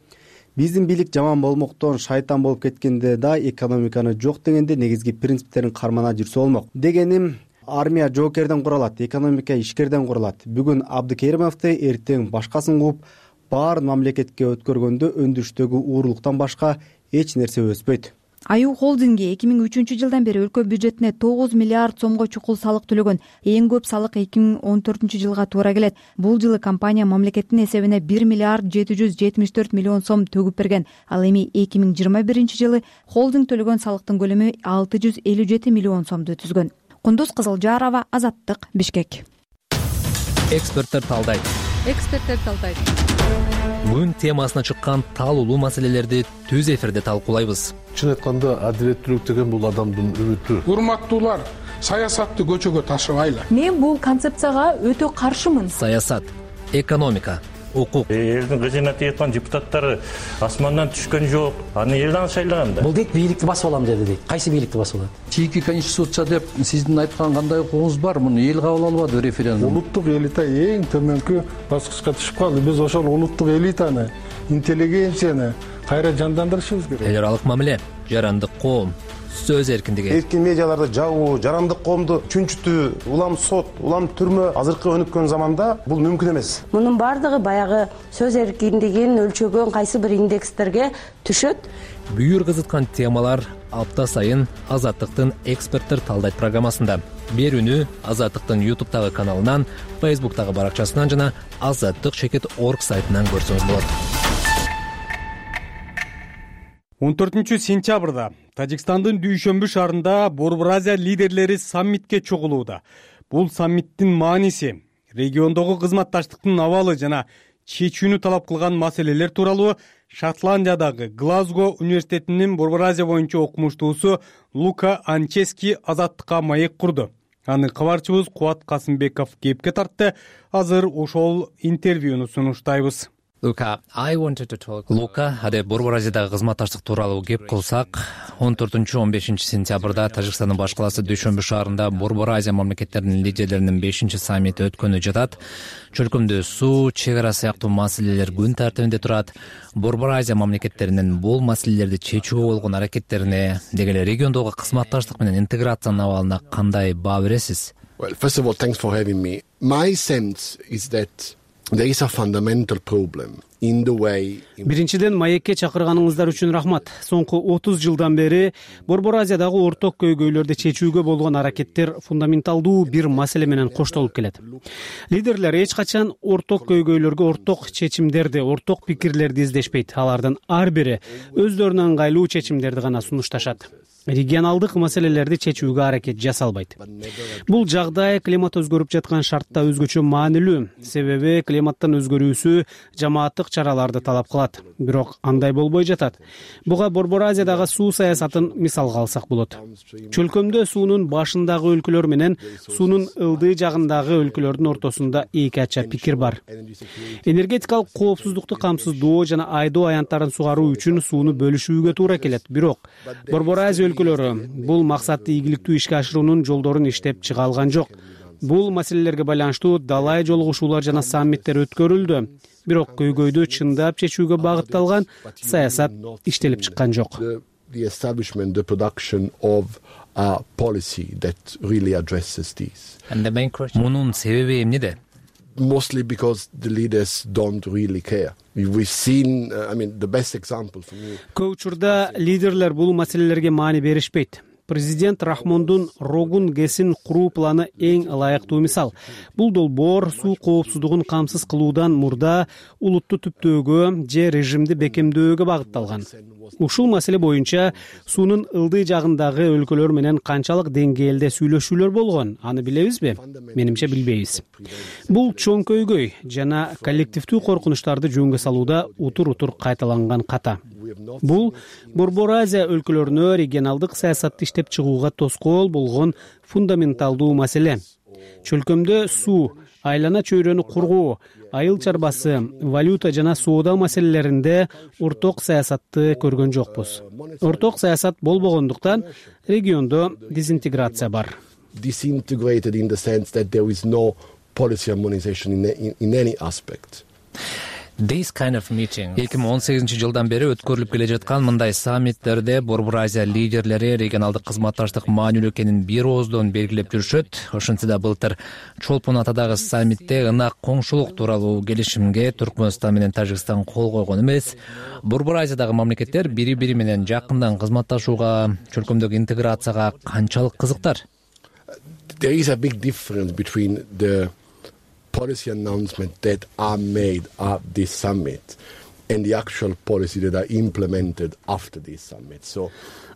Биздин бийлик жаман болмоктон шайтан болуп кеткенде да экономиканы жок дегенде негизги принциптерин кармана жүрсө болмок. Дегеним, армия жоокерден куралат, экономика ишкерден куралат. Бүгүн Абдыкеримовду, эртең башкасын кууп, баарын мамлекетке өткөргөндө өндүрүштөгү уурулуктан башка эч нерсе өспөйт. Аю холдинги эки миң үчүнчү жылдан бери өлкө бюджетине тогуз миллиард сомго чукул салык төлөгөн. Эң көп салык эки миң он төртүнчү жылга туура келет. Бул жылы компания мамлекеттин эсебине бир миллиард жети жүз жетимиш төрт миллион сом төгүп берген. Ал эми эки миң жыйырма биринчи жылы холдинг төлөгөн салыктын көлөмү алты жүз элүү жети миллион сомду түзгөн. Кундуз Кызылжарова, Азаттык, Бишкек. Эксперттер талдайт. Эксперттер талдайт. Бүгүн темасына чыккан таалуулуу маселелерди түз эфирде талкуулайбыз. Чын айтканда, адилеттүүлүк деген бул адамдын үмүтү. Урматтуулар, саясатты көчөгө ташыбайлы. Мен бул концепцияга өтө каршымын. Саясат, экономика, укук. Элдин кызына тийип депутаттары асмандан түшкөн жок. Аны элден шайлаган да. Бул дейт бийликти басып алам деди дейт. Кайсы бийликти басып алат? Чийки конституция деп сиздин айткан кандай укугуңуз бар? Муну эл кабыл албады референдум. Улуттук элита эң төмөнкү баскычка түшүп калды. Биз ошол улуттук элитаны, интеллигенцияны кайра жандандырышыбыз керек. Эл аралык мамиле, жарандык коом, сөз эркиндиги. Эркин медиаларды жабуу, жарандык коомду чүнчүтүү, улам сот, улам түрмө азыркы өнүккөн заманда бул мүмкүн эмес. Мунун бардыгы баягы сөз эркиндигин өлчөгөн кайсы бир индекстерге түшөт. Бүйүр кызыткан темалар апта сайын Азаттыктын эксперттер талдайт программасында. Берүүнү Азаттыктын YouTube'тагы каналынан, Facebook'тагы баракчасынан жана азаттык чекит точка орг сайтынан көрсөңүз болот. он төртүнчү сентябрда Тажикстандын Дүйшөмбү шаарында Борбор Азия лидерлери саммитке чогулууда. Бул саммиттин мааниси региондогу кызматташтыктын абалы жана чечүүнү талап кылган маселелер тууралуу Шотландиядагы Глазго университетинин Борбор Азия боюнча окумуштуусу Лука Анчески Азаттыкка маек курду. Аны кабарчыбыз Кубат Касымбеков кепке тартты. Азыр ошол интервьюну сунуштайбыз. Лука, Лука, аде Борбор Азиядагы кызматташтык тууралуу кеп кылсак, он төртүнчү он бешинчи сентябрда Тажикстандын баш калаасы Дүйшөмбү шаарында Борбор Азия мамлекеттеринин лидерлеринин бешинчи саммити өткөнү жатат. Чөлкөмдө суу, чек ара сыяктуу маселелер күн тартибинде турат. Борбор Азия мамлекеттеринин бул маселелерди чечүүгө болгон аракеттерине, деги эле региондогу кызматташтык менен интеграциянын абалына кандай баа бересиз? Well, first of all, thanks for having me. My sense is that there is a fundamental problem in the way. Биринчиден, маекке чакырганыңыздар үчүн рахмат. Соңку отуз жылдан бери Борбор Азиядагы орток көйгөйлөрдү чечүүгө болгон аракеттер фундаменталдуу бир маселе менен коштолуп келет. Лидерлер эч качан орток көйгөйлөргө орток чечимдерди, орток пикирлерди издешпейт. Алардын ар бири өздөрүнө ыңгайлуу чечимдерди гана сунушташат. Регионалдык маселелерди чечүүгө аракет жасалбайт. Бул жагдай климат өзгөрүп жаткан шартта өзгөчө маанилүү, себеби климаттын өзгөрүүсү жамааттык чараларды талап кылат. Бирок андай болбой жатат. Буга Борбор Азиядагы суу саясатын мисалга алсак болот. Чөлкөмдө суунун башындагы өлкөлөр менен суунун ылдый жагындагы өлкөлөрдүн ортосунда эки ача пикир бар. Энергетикалык коопсуздукту камсыздоо жана айдоо аянттарын сугаруу үчүн сууну бөлүшүүгө туура келет. Бирок Борбор Азия бул максатты ийгиликтүү ишке ашыруунун жолдорун иштеп чыга алган жок. Бул маселелерге байланыштуу далай жолугушуулар жана саммиттер өткөрүлдү. Бирок көйгөйдү чындап чечүүгө багытталган саясат иштелип чыккан жок. The establishment, the production of a policy that really addresses this. Мунун себеби эмнеде? mostly because the leaders don't really care. We've seen, uh, I mean, the best example for me. Көп учурда лидерлер бул маселелерге маани беришпейт. Президент Рахмондун Рогун ГЭСин куруу планы эң ылайыктуу мисал. Бул долбоор суу коопсуздугун камсыз кылуудан мурда улутту түптөөгө же режимди бекемдөөгө багытталган. Ушул маселе боюнча суунун ылдый жагындагы өлкөлөр менен канчалык деңгээлде сүйлөшүүлөр болгон, аны билебизби? Менимче билбейбиз. Бул чоң көйгөй жана коллективдүү коркунучтарды жөнгө салууда утур-утур кайталанган ката. Бул Борбор Азия өлкөлөрүнө регионалдык саясатты иштеп чыгууга тоскоол болгон фундаменталдуу маселе. Чөлкөмдө суу, айлана чөйрөнү кургоо, айыл чарбасы, валюта жана соода маселелеринде орток саясатты көргөн жокпуз. Орток саясат болбогондуктан региондо дезинтеграция бар. Disintegrated in the sense that there is no policy harmonization in, in, in any aspect. This kind of meeting эки миң он сегизинчи жылдан бери өткөрүлүп келе жаткан мындай саммиттерде Борбор Азия лидерлери регионалдык кызматташтык маанилүү экенин бир ооздон белгилеп жүрүшөт. Ошентсе да былтыр Чолпон Атадагы саммитте ынак коңшулук тууралуу келишимге Түркмөнстан менен Тажикстан кол койгон эмес. Борбор Азиядагы мамлекеттер бири-бири менен жакындан кызматташууга, чөлкөмдөгү интеграцияга канчалык кызыктар? There is a big difference between the policy announcements that are made at this summit and the actual policy that are implemented after this summit. So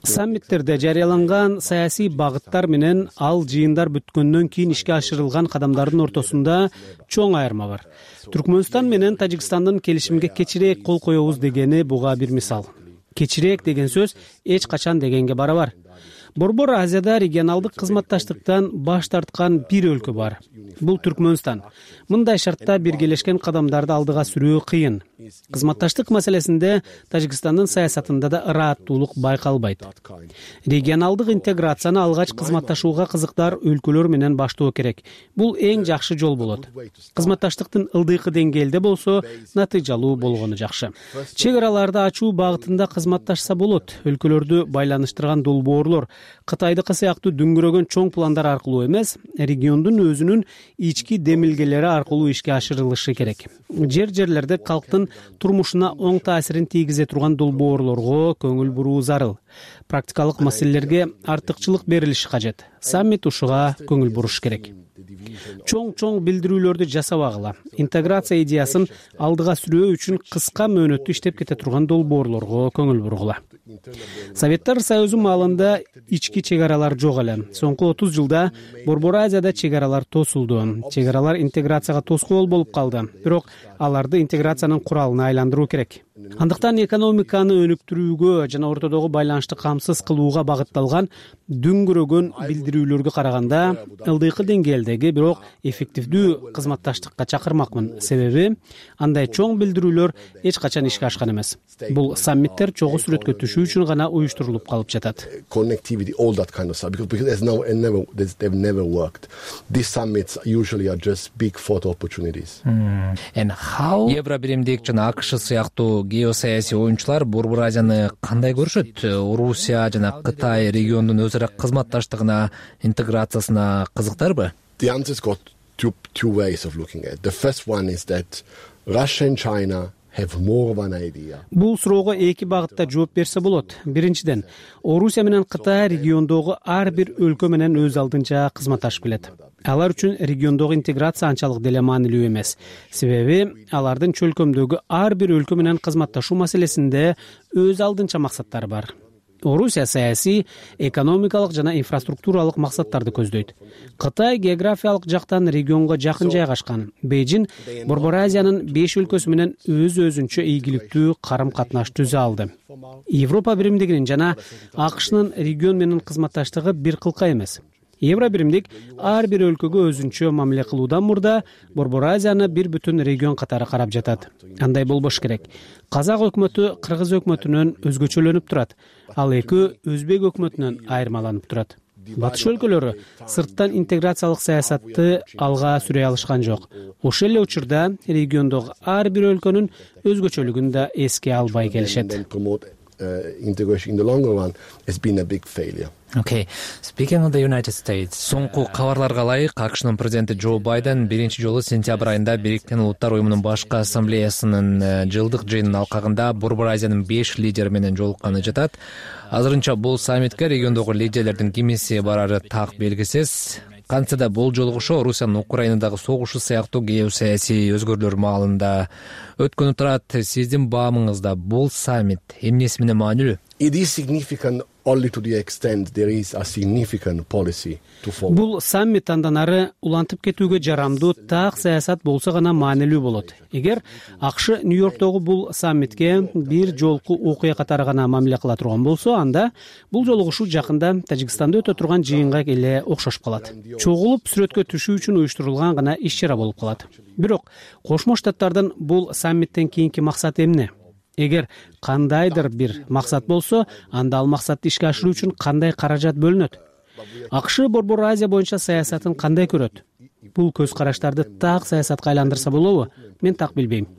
саммиттерде жарыяланган саясий багыттар менен ал жыйындар бүткөндөн кийин ишке ашырылган кадамдардын ортосунда чоң айырма бар. Түркмөнстан менен Тажикстандын келишимге кечирээк кол коебуз дегени буга бир мисал. Кечирээк деген сөз эч качан дегенге барабар. Борбор Азияда регионалдык кызматташтыктан баш тарткан бир өлкө бар. Бул Түркмөнстан. Мындай шартта биргелешкен кадамдарды алдыга сүрүү кыйын. Кызматташтык маселесинде Тажикстандын саясатында да ырааттуулук байкалбайт. Регионалдык интеграцияны алгач кызматташууга кызыктар өлкөлөр менен баштоо керек. Бул эң жакшы жол болот. Кызматташтыктын ылдыйкы деңгээлде болсо, натыйжалуу болгону жакшы. Чек араларды ачуу багытында кызматташса болот. Өлкөлөрдү байланыштырган долбоорлор Кытайдыкы сыяктуу дүңгүрөгөн чоң пландар аркылуу эмес, региондун өзүнүн ички демилгелери аркылуу ишке ашырылышы керек. Жер-жерлерде калктын турмушуна оң таасирин тийгизе турган долбоорлорго көңүл буруу зарыл. Практикалык маселелерге артыкчылык берилиши кажет. Саммит ушуга көңүл буруш керек. Чоң-чоң билдирүүлөрдү жасабагыла, интеграция идеясын алдыга сүрөө үчүн кыска мөөнөттү иштеп кете турган долбоорлорго көңүл бургула. Советтер Союзу маалында ички чек аралар жок эле. Соңку отуз жылда Борбор Азияда чек аралар тосулду. Чек аралар интеграцияга тоскоол болуп калды. Бирок аларды интеграциянын куралына айландыруу керек. Андыктан экономиканы өнүктүрүүгө жана ортодогу байланышты камсыз кылууга багытталган дүңгүрөгөн билдирүүлөргө караганда ылдыйкы деңгээлдеги, бирок эффективдүү кызматташтыкка чакырмакмын. Себеби андай чоң билдирүүлөр эч качан ишке ашкан эмес. Бул саммиттер чогуу сүрөткө түшүү үчүн гана уюштурулуп калып жатат. Connectivity, all that kind of stuff, because, because there's no, and never, they've never worked. These summits usually are just big photo opportunities. Mm. And how Евробиримдик жана АКШ сыяктуу геосаясий оюнчулар Борбор Азияны кандай көрүшөт? Орусия жана Кытай региондун өзара кызматташтыгына, интеграциясына кызыктарбы? The answer's got two, two ways of looking at it. The first one is that Russia and China have more of an idea. Бул суроого эки багытта жооп берсе болот. Биринчиден, Орусия менен Кытай региондогу ар бир өлкө менен өз алдынча кызматташып келет. Алар үчүн региондогу интеграция анчалык деле маанилүү эмес. Себеби алардын чөлкөмдөгү ар бир өлкө менен кызматташуу маселесинде өз алдынча максаттары бар. Орусия саясий, экономикалык жана инфраструктуралык максаттарды көздөйт. Кытай географиялык жактан регионго жакын жайгашкан. Бейжин Борбор Азиянын беш өлкөсү менен өз өзүнчө ийгиликтүү карым-катнаш түзө алды. Европа биримдигинин жана АКШнын регион менен кызматташтыгы бир кылка эмес. Евробиримдик ар бир өлкөгө өзүнчө мамиле кылуудан мурда Борбор Азияны бир бүтүн регион катары карап жатат. Андай болбош керек. Казак өкмөтү Кыргыз өкмөтүнөн өзгөчөлөнүп турат. Ал эки Өзбек өкмөтүнөн айырмаланып турат. Батыш өлкөлөрү сырттан интеграциялык саясатты алга сүрөй алышкан жок. Ошол эле учурда региондогу ар бир өлкөнүн өзгөчөлүгүн да эске албай келишет. uh, integration in the longer run has been a big failure. Okay. Speaking of the United States, соңку кабарларга ылайык АКШнын президенти Джо Байден биринчи жолу сентябрь айында Бириккен Улуттар уюмунун башкы ассамблеясынын жылдык жыйынынын алкагында Борбор Азиянын беш лидери менен жолукканы жатат. Азырынча бул саммитке региондогу лидерлердин кимиси барары так белгисиз. Кантсе да бул жолугушуу Орусиянын Украинадагы согушу сыяктуу геосаясий өзгөрүүлөр маалында өткөнү турат. Сиздин баамыңызда бул саммит эмнеси менен маанилүү? It is significant only to the extent there is a significant policy to follow. Бул саммит андан ары улантып кетүүгө жарамдуу так саясат болсо гана маанилүү болот. Эгер АКШ Нью-Йорктогу бул саммитке бир жолку окуя катары гана мамиле кыла турган болсо, анда бул жолугушуу жакында Тажикстанда өтө турган жыйынга эле окшошуп калат. Чогулуп сүрөткө түшүү үчүн уюштурулган гана иш-чара болуп калат. Бирок Кошмо Штаттардын бул саммиттен кийинки максаты эмне? Эгер кандайдыр бир максат болсо, анда ал максатты ишке ашыруу үчүн кандай каражат бөлүнөт? АКШ Борбор Азия боюнча саясатын кандай көрөт? Бул көз караштарды так саясатка айландырса болобу? Мен так билбейм.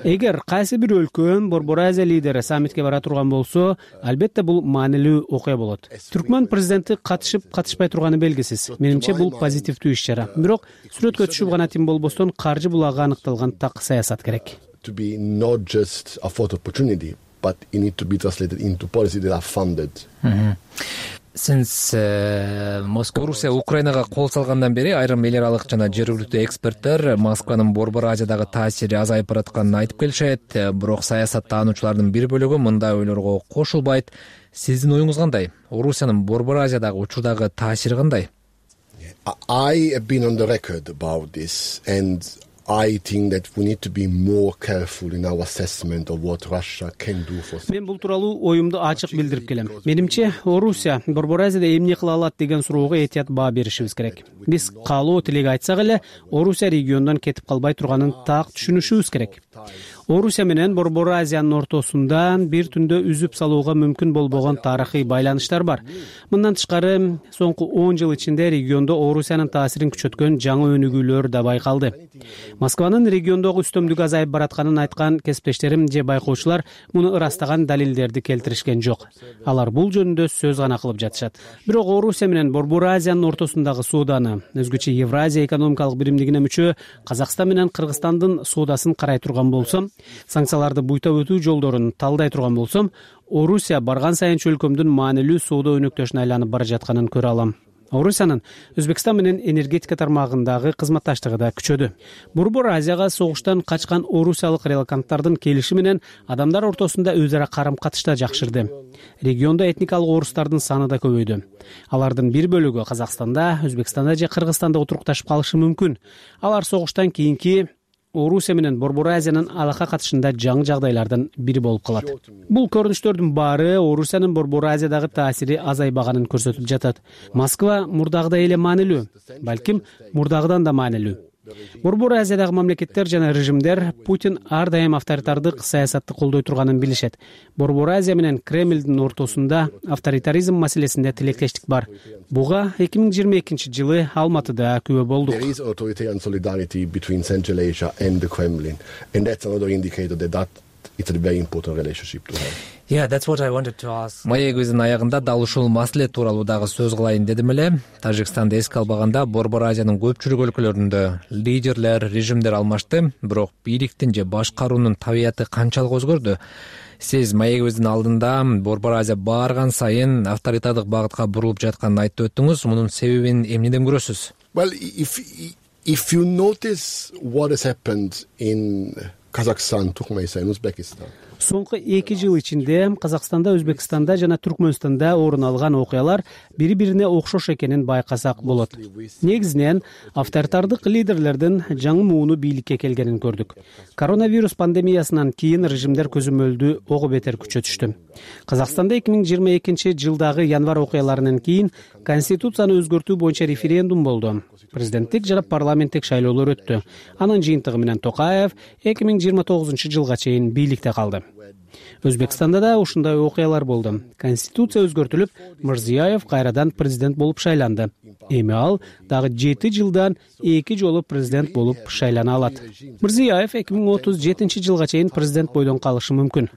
Эгер кайсы бир өлкө Борбор Азия лидери саммитке бара турган болсо, албетте бул маанилүү окуя болот. Түркмөн президенти катышып, катышпай турганы белгисиз. Менимче бул позитивдүү иш-чара. Бирок сүрөткө түшүп гана тим болбостон каржы булагы аныкталган так саясат керек. To be not just a photo opportunity, but it need to be translated into policy that are funded. Mm-hmm. Since uh, Орусия Украинага кол салгандан бери айрым эл аралык жана жергиликтүү эксперттер Москванын Борбор Азиядагы таасири азайып баратканын айтып келишет. Бирок саясаттануучулардын бир бөлүгү мындай ойлорго кошулбайт. Сиздин оюңуз кандай? Орусиянын Борбор Азиядагы учурдагы таасири кандай? I have been on the record about this, and I think that we need to be more careful in our assessment of what Russia can do for. Мен бул тууралуу оюмду ачык билдирип келем. Менимче, Орусия Борбор Азияда эмне кыла алат деген суроого этият баа беришибиз керек. Биз каалоо тилек айтсак эле, Орусия региондон кетип калбай турганын так түшүнүшүбүз керек. Орусия менен Борбор Азиянын ортосунда бир түндө үзүп салууга мүмкүн болбогон тарыхый байланыштар бар. Мындан тышкары, соңку он жыл ичинде региондо Орусиянын таасирин күчөткөн жаңы өнүгүүлөр да байкалды. Москванын региондогу үстөмдүгү азайып баратканын айткан кесиптештерим же байкоочулар муну ырастаган далилдерди келтиришкен жок. Алар бул жөнүндө сөз гана кылып жатышат. Бирок Орусия менен Борбор Азиянын ортосундагы сооданы, өзгөчө Евразия экономикалык биримдигине мүчө Казакстан менен Кыргызстандын соодасын карай турган болсом, санкцияларды буйтап өтүү жолдорун талдай турган болсом, Орусия барган сайын өлкөмдүн маанилүү соода өнөктөшүнө айланып бара жатканын көрө алам. Орусиянын Өзбекстан менен энергетика тармагындагы кызматташтыгы да күчөдү. Борбор Азияга согуштан качкан орусиялык релаканттардын келиши менен адамдар ортосунда өз ара карым-катыш да жакшырды. Региондо этникалык орустардын саны да көбөйдү. Алардын бир бөлүгү Казакстанда, Өзбекстанда же Кыргызстанда отурукташып калышы мүмкүн. Алар согуштан кийинки Орусия менен Борбор Азиянын алака катышында жаңы жагдайлардын бири болуп калат. Бул көрүнүштөрдүн баары Орусиянын Борбор Азиядагы таасири азайбаганын көрсөтүп жатат. Москва мурдагыдай эле маанилүү, балким мурдагыдан да маанилүү. Борбор Азиядагы мамлекеттер жана режимдер Путин ар дайым авторитардык саясатты колдой турганын билишет. Борбор Азия менен Кремлдин ортосунда авторитаризм маселесинде тилектештик бар. Буга эки миң жыйырма экинчи жылы Алматыда күбө болдук. There is authoritarian solidarity between Central Asia and the Kremlin, and that's another indicator that that it's a very important relationship to have. Yeah, that's what I wanted to ask. Маегибиздин аягында дал ушул маселе тууралуу дагы сөз кылайын дедим эле. Тажикстанды эске албаганда Борбор Азиянын көпчүлүк өлкөлөрүндө лидерлер, режимдер алмашты, бирок бийликтин же башкаруунун табияты канчалык өзгөрдү? Сиз маегибиздин алдында Борбор Азия баарган сайын авторитардык багытка бурулуп жатканын айтып өттүңүз. Мунун себебин эмнеден көрөсүз? Well, if if you notice what has happened in Kazakhstan, Turkmenistan, Uzbekistan. Соңку эки жыл ичинде Казакстанда, Өзбекстанда жана Түркмөнстанда орун алган окуялар бири-бирине окшош экенин байкасак болот. Негизинен авторитардык лидерлердин жаңы мууну бийликке келгенин көрдүк. Коронавирус пандемиясынан кийин режимдер көзөмөлдү ого бетер күчөтүштү. Казакстанда эки миң жыйырма экинчи жылдагы январь окуяларынан кийин конституцияны өзгөртүү боюнча референдум болду. Президенттик жана парламенттик шайлоолор өттү. Анын жыйынтыгы менен Токаев эки миң жыйырма тогузунчу жылга чейин бийликте калды. Өзбекстанда да ушундай окуялар болду. Конституция өзгөртүлүп, Мирзиёев кайрадан президент болуп шайланды. Эми ал дагы жети жылдан эки жолу президент болуп шайлана алат. Мирзиёев эки миң отуз жетинчи жылга чейин президент бойдон калышы мүмкүн.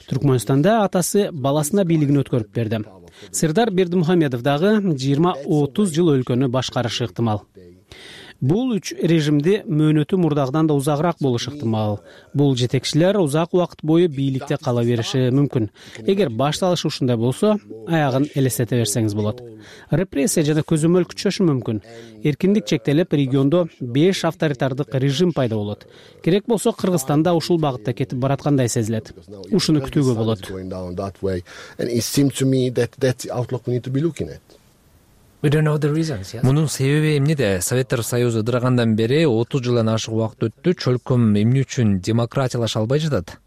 Түркмөнстанда атасы баласына бийлигин өткөрүп берди. Сырдар Бердимухамедов дагы жыйырма отуз жыл өлкөнү башкарышы ыктымал. Бул үч режимди мөөнөтү мурдагыдан да узагыраак болушу ыктымал. Бул жетекчилер узак убакыт бою бийликте кала бериши мүмкүн. Эгер башталышы ушундай болсо, аягын элестете берсеңиз болот. Репрессия жана көзөмөл күчөшү мүмкүн. Эркиндик чектелип, региондо беш авторитардык режим пайда болот. Керек болсо, Кыргызстанда ушул багытта кетип бараткандай сезилет. Ушуну күтүүгө болот. Мунун себеби эмнеде? Советтер Союзу ыдырагандан бери отуз жылдан ашык убакыт өттү. Чөлкөм эмне үчүн демократиялаша албай жатат?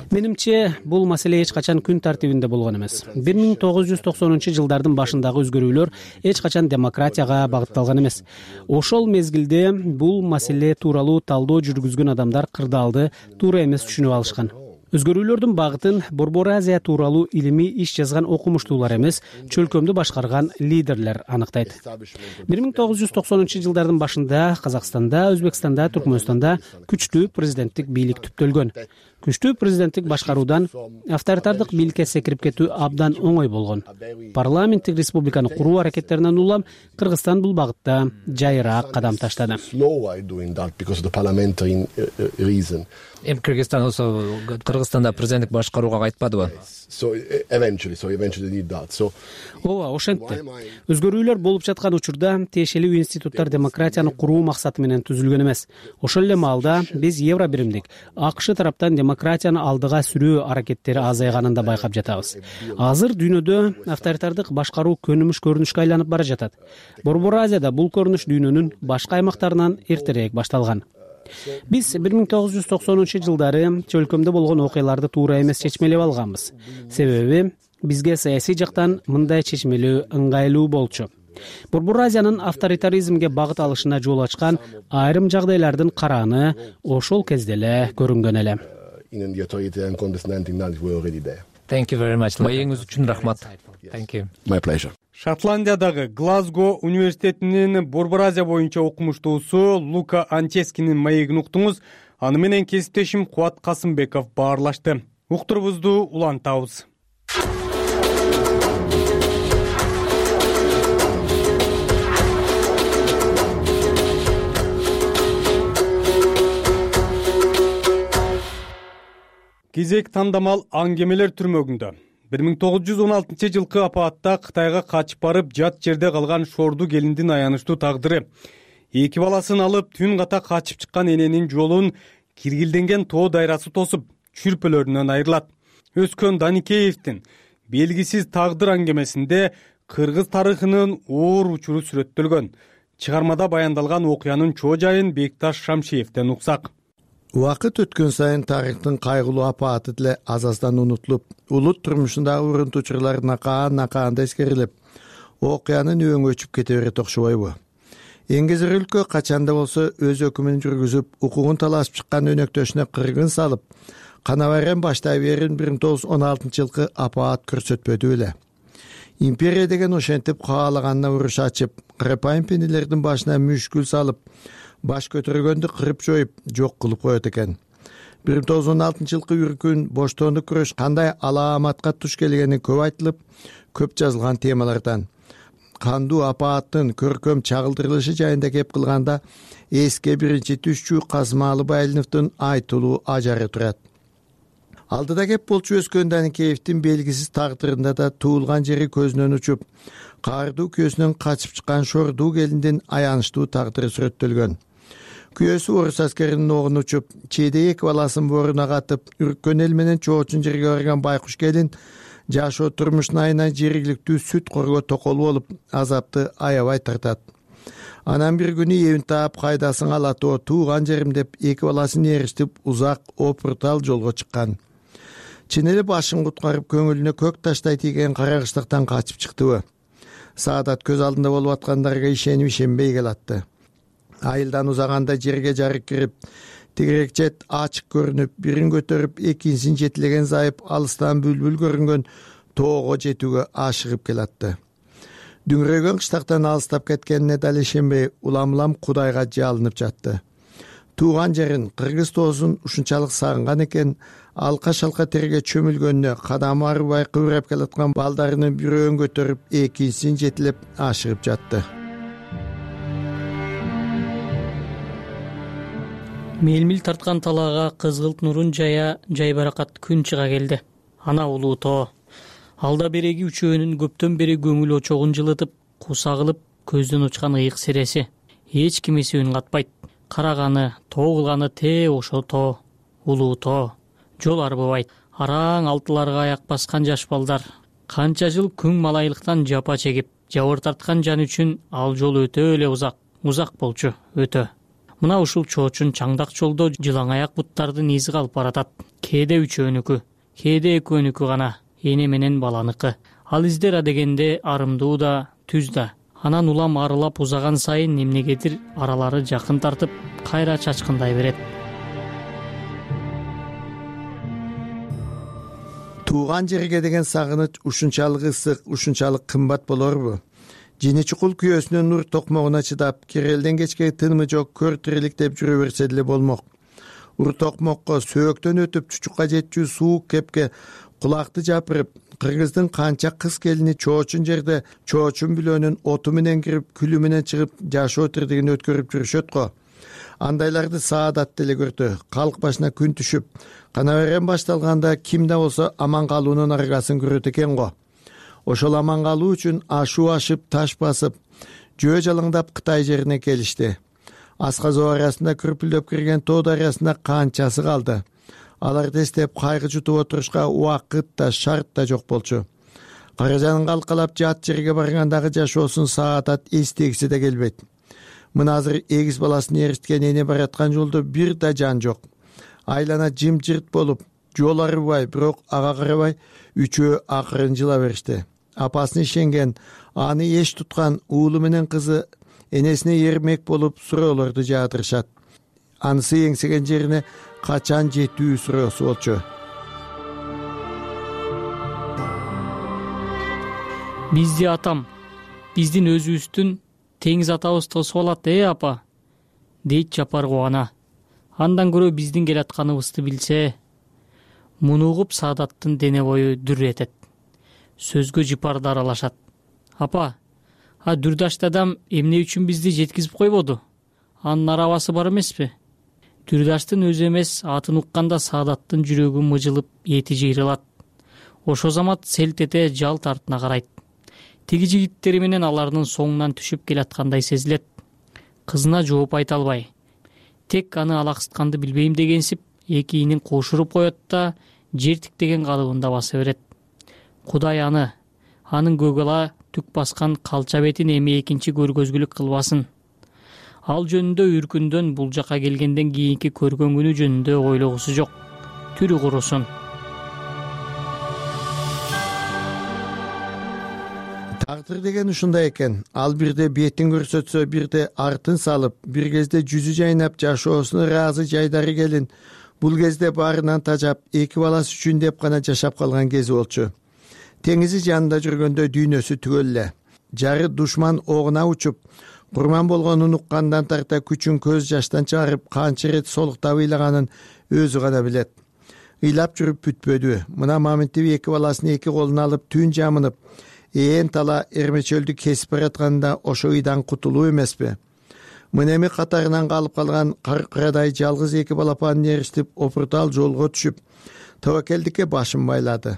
Менимче, бул маселе эч качан күн тартибинде болгон эмес. бир миң тогуз жүз токсонунчу жылдардын башындагы өзгөрүүлөр эч качан демократияга багытталган эмес. Ошол мезгилде бул маселе тууралуу талдоо жүргүзгөн адамдар кырдаалды туура эмес түшүнүп алышкан. Өзгөрүүлөрдүн багытын Борбор Азия тууралуу илимий иш жазган окумуштуулар эмес, чөлкөмдү башкарган лидерлер аныктайт. бир миң тогуз жүз токсонунчу жылдардын башында Казакстанда, Өзбекстанда, Түркмөнстанда күчтүү президенттик бийлик түптөлгөн. Күчтүү президенттик башкаруудан авторитардык бийликке секирип кетүү абдан оңой болгон. Парламенттик республиканы куруу аракеттеринен улам Кыргызстан бул багытта жайыраак кадам таштады. Эми Кыргызстан болсо Кыргызстанда президенттик башкарууга кайтпадыбы? Ооба, ошентти. Өзгөрүүлөр болуп жаткан учурда тиешелүү институттар демократияны куруу максаты менен түзүлгөн эмес. Ошол эле маалда биз евро биримдик АКШ тараптан демократияны алдыга сүрүү аракеттери азайганын да байкап жатабыз. Азыр дүйнөдө авторитардык башкаруу көнүмүш көрүнүшкө айланып бара жатат. Борбор Азияда бул көрүнүш дүйнөнүн башка аймактарынан эртерээк башталган. Биз бир миң тогуз жүз токсонунчу жылдары чөлкөмдө болгон окуяларды туура эмес чечмелеп алганбыз. Себеби бизге саясий жактан мындай чечмелөө ыңгайлуу болчу. Борбор Азиянын авторитаризмге багыт алышына жол ачкан айрым жагдайлардын карааны ошол кезде эле көрүнгөн эле. Thank you very much. Маегиңиз үчүн рахмат. Thank you. My pleasure. Шотландиядагы Глазго университетинин Борбор Азия боюнча окумуштуусу Лука Анческинин маегин уктуңуз. Аны менен кесиптешим Кубат Касымбеков баарлашты. Уктурубузду улантабыз. Кезек тандамал аңгемелер түрмөгүндө. бир миң тогуз жүз он алтынчы жылкы апаатта Кытайга качып барып жат жерде калган шорду келиндин аянычтуу тагдыры. Эки баласын алып түн ката качып чыккан эненин жолун киргилденген тоо дайрасы тосуп, чүрпөлөрүнөн айрылат. Өскөн Даникеевдин белгисиз тагдыр аңгемесинде кыргыз тарыхынын оор учуру сүрөттөлгөн. Чыгармада баяндалган окуянын чоо жайын Бекташ Шамшиевден уксак. Убакыт өткөн сайын тарыхтын кайгылуу апааты деле аз аздан унутулуп, улут турмушундагы урунтуучулар накаан-накаанда эскерилип, окуянын өңү өчүп кете берет окшобойбу? Эңгезер өлкө качанда болсо өз өкүмүн жүргүзүп, укугун талашып чыккан өнөктөшүнө кыргын салып, канабайран баштай берин бир миң тогуз жүз он алтынчы жылкы апаат көрсөтпөдү эле. Империя деген ошентип каалаганына уруш ачып, кырпайым пенделердин башына мүшкүл салып, баш көтөргөндү кырып жоюп, жок кылып коет экен. бир миң тогуз жүз он алтынчы жылкы үркүн боштоондук күрөш кандай алааматка туш келгени көп айтылып, көп жазылган темалардан. Кандуу апааттын көркөм чагылдырылышы жайында кеп кылганда эске биринчи түшчү Касымалы Байлиновдун айтылуу ажары турат. Алдыда кеп болчу өскөн Даникеевдин белгисиз тагдырында да туулган жери көзүнөн учуп, каардуу күйөөсүнөн качып чыккан шордуу келиндин аянычтуу тагдыры сүрөттөлгөн. Күйөөсү орус аскеринин огун учуп, чейде эки баласын бооруна катып, үрккөн эл менен чоочун жерге барган байкуш келин жашоо турмушун айынан жергиликтүү сүт корго токол болуп, азапты аябай тартат. Анан бир күнү эбин таап кайдасын алатоо тууган жерим деп эки баласын эриштип узак опуртал жолго чыккан. Чын эле башын куткарып көңүлүнө көк таштай тийген карагычтыктан качып чыктыбы? Саадат көз алдында болуп аткандарга ишенип ишенбей келатты. Айылдан узаганда жерге жарык кирип, тигирек жет ачык көрүнүп, бирин көтөрүп экинчисин жетилеген зайып алыстан бүлбүл көрүнгөн тоого жетүүгө ашыгып келатты. Дүңрөгөн кыштактан алыстап кеткенине дал ишенбей, улам-улам Кудайга жалынып жатты. Тууган жерин, кыргыз тоосун ушунчалык сагынган экен, алка-шалка терге чөмүлгөнүнө кадамы арыбай кыбырап келаткан балдарынын бирөөн көтөрүп, экинчисин жетилеп ашыгып жатты. Мелмил тарткан талаага кызгылт нурун жая жайбаракат күн чыга келди. Ана улуу тоо. Алда береги үчөөнүн көптөн бери көңүл очогун жылытып, куса кылып көздөн учкан ыйык сереси. Эч кимиси үн катпайт. Караганы, тоо кылганы те ошо тоо. Улуу тоо. Жол арбыбайт. Араң алтыларга аяк баскан жаш балдар. Канча жыл күң малайлыктан жапа чегип, жабыр тарткан жан үчүн ал жол өтө эле узак. Узак болчу, өтө. Мына ушул чоочун чаңдак жолдо жылаң аяк буттардын изи калып баратат. Кээде үчөөнүкү, кээде экөөнүкү гана, эне менен баланыкы. Ал издер адегенде арымдуу да, түз да. Анан улам арылап узаган сайын эмнегедир аралары жакын тартып, кайра чачкындай берет. Тууган жерге деген сагыныч ушунчалык ысык, ушунчалык кымбат болорбу? Жини чукул күйөөсүнүн нур токмогуна чыдап, кирелден кечке тынымы жок көр тирилик деп жүрө берсе деле болмок. Ур токмокко сөөктөн өтүп чучукка жетчү суук кепке кулакты жапырып, кыргыздын канча кыз келини чоочун жерде чоочун бүлөөнүн оту менен кирип, күлү менен чыгып, жашоо тирдигин өткөрүп жүрүшөт го. Андайларды саадат деле көрдү. Калк башына күн түшүп, кана берен башталганда ким да болсо аман калуунун аргасын көрөт экен го. Ошол аман калуу үчүн ашуу ашып, таш басып, жөө жалаңдап Кытай жерине келишти. Асказоо арасында күрпүлдөп кирген тоо дарыясында канчасы калды. Алар тестеп кайгы жутуп отурушка убакыт да, шарт да жок болчу. Каражанын калкалап жат жерге баргандагы жашоосун саатат эстегиси да келбейт. Мына азыр эгиз баласын эриткен эне бараткан жолдо бир да жан жок. Айлана жымжырт болуп, жол арыбай, бирок ага карабай, үчөө акырын жыла беришти. Апасын ишенген, аны эч туткан уулу менен кызы энесине эрмек болуп суроолорду жаадырышат. Анысы эңсеген жерине качан жетүү суроосу болчу. Бизди атам, биздин өзүбүздүн теңиз атабыз тосуп алат, э апа, дейт Жапар кубана. Андан көрө биздин келатканыбызды билсе, муну угуп Саадаттын дене бою дүр этет. Сөзгө жыпарды аралашат. Апа, а Дүрдаш дадам эмне үчүн бизди жеткизип койбоду? Анын арабасы бар эмеспи? Дүрдаштын өзү эмес, атын укканда Саадаттын жүрөгү мыжылып, эти жыйрылат. Ошо замат селт эте жалт артына карайт. Тиги жигиттери менен алардын соңунан түшүп келаткандай сезилет. Кызына жооп айта албай, тек аны алаксытканды билбейм дегенсип, эки ийнин кошуруп коет да, жер тиктеген калыбында баса берет. Кудай аны, анын көгала түк баскан калча бетин эми экинчи көргөзгүлүк кылбасын. Ал жөнүндө үркүндөн бул жака келгенден кийинки көргөн күнү жөнүндө ойлогусу жок. Түрү курусун. Тагдыр деген ушундай экен. Ал бирде бетин көрсөтсө, бирде артын салып, бир кезде жүзү жайнап, жашоосуна ыраазы жайдары келин. Бул кезде баарынан тажап, эки баласы үчүн деп гана жашап калган кези болчу. Теңизи жанында жүргөндө дүйнөсү түгөл эле. Жары душман огуна учуп, курман болгонун уккандан тарта күчүн көз жаштан чыгарып, канча ирет солуктап ыйлаганын өзү гана билет. Ыйлап жүрүп бүтпөдү. Мына Маминтип эки баласын эки колуна алып түн жамынып, ээн тала эрмечөлдү кесип баратканда ошо ыйдан кутулуу эмеспи? Мына эми катарынан калып калган каркырадай жалгыз эки балапанын эриштип, опуртал жолго түшүп, тобокелдикке башын байлады.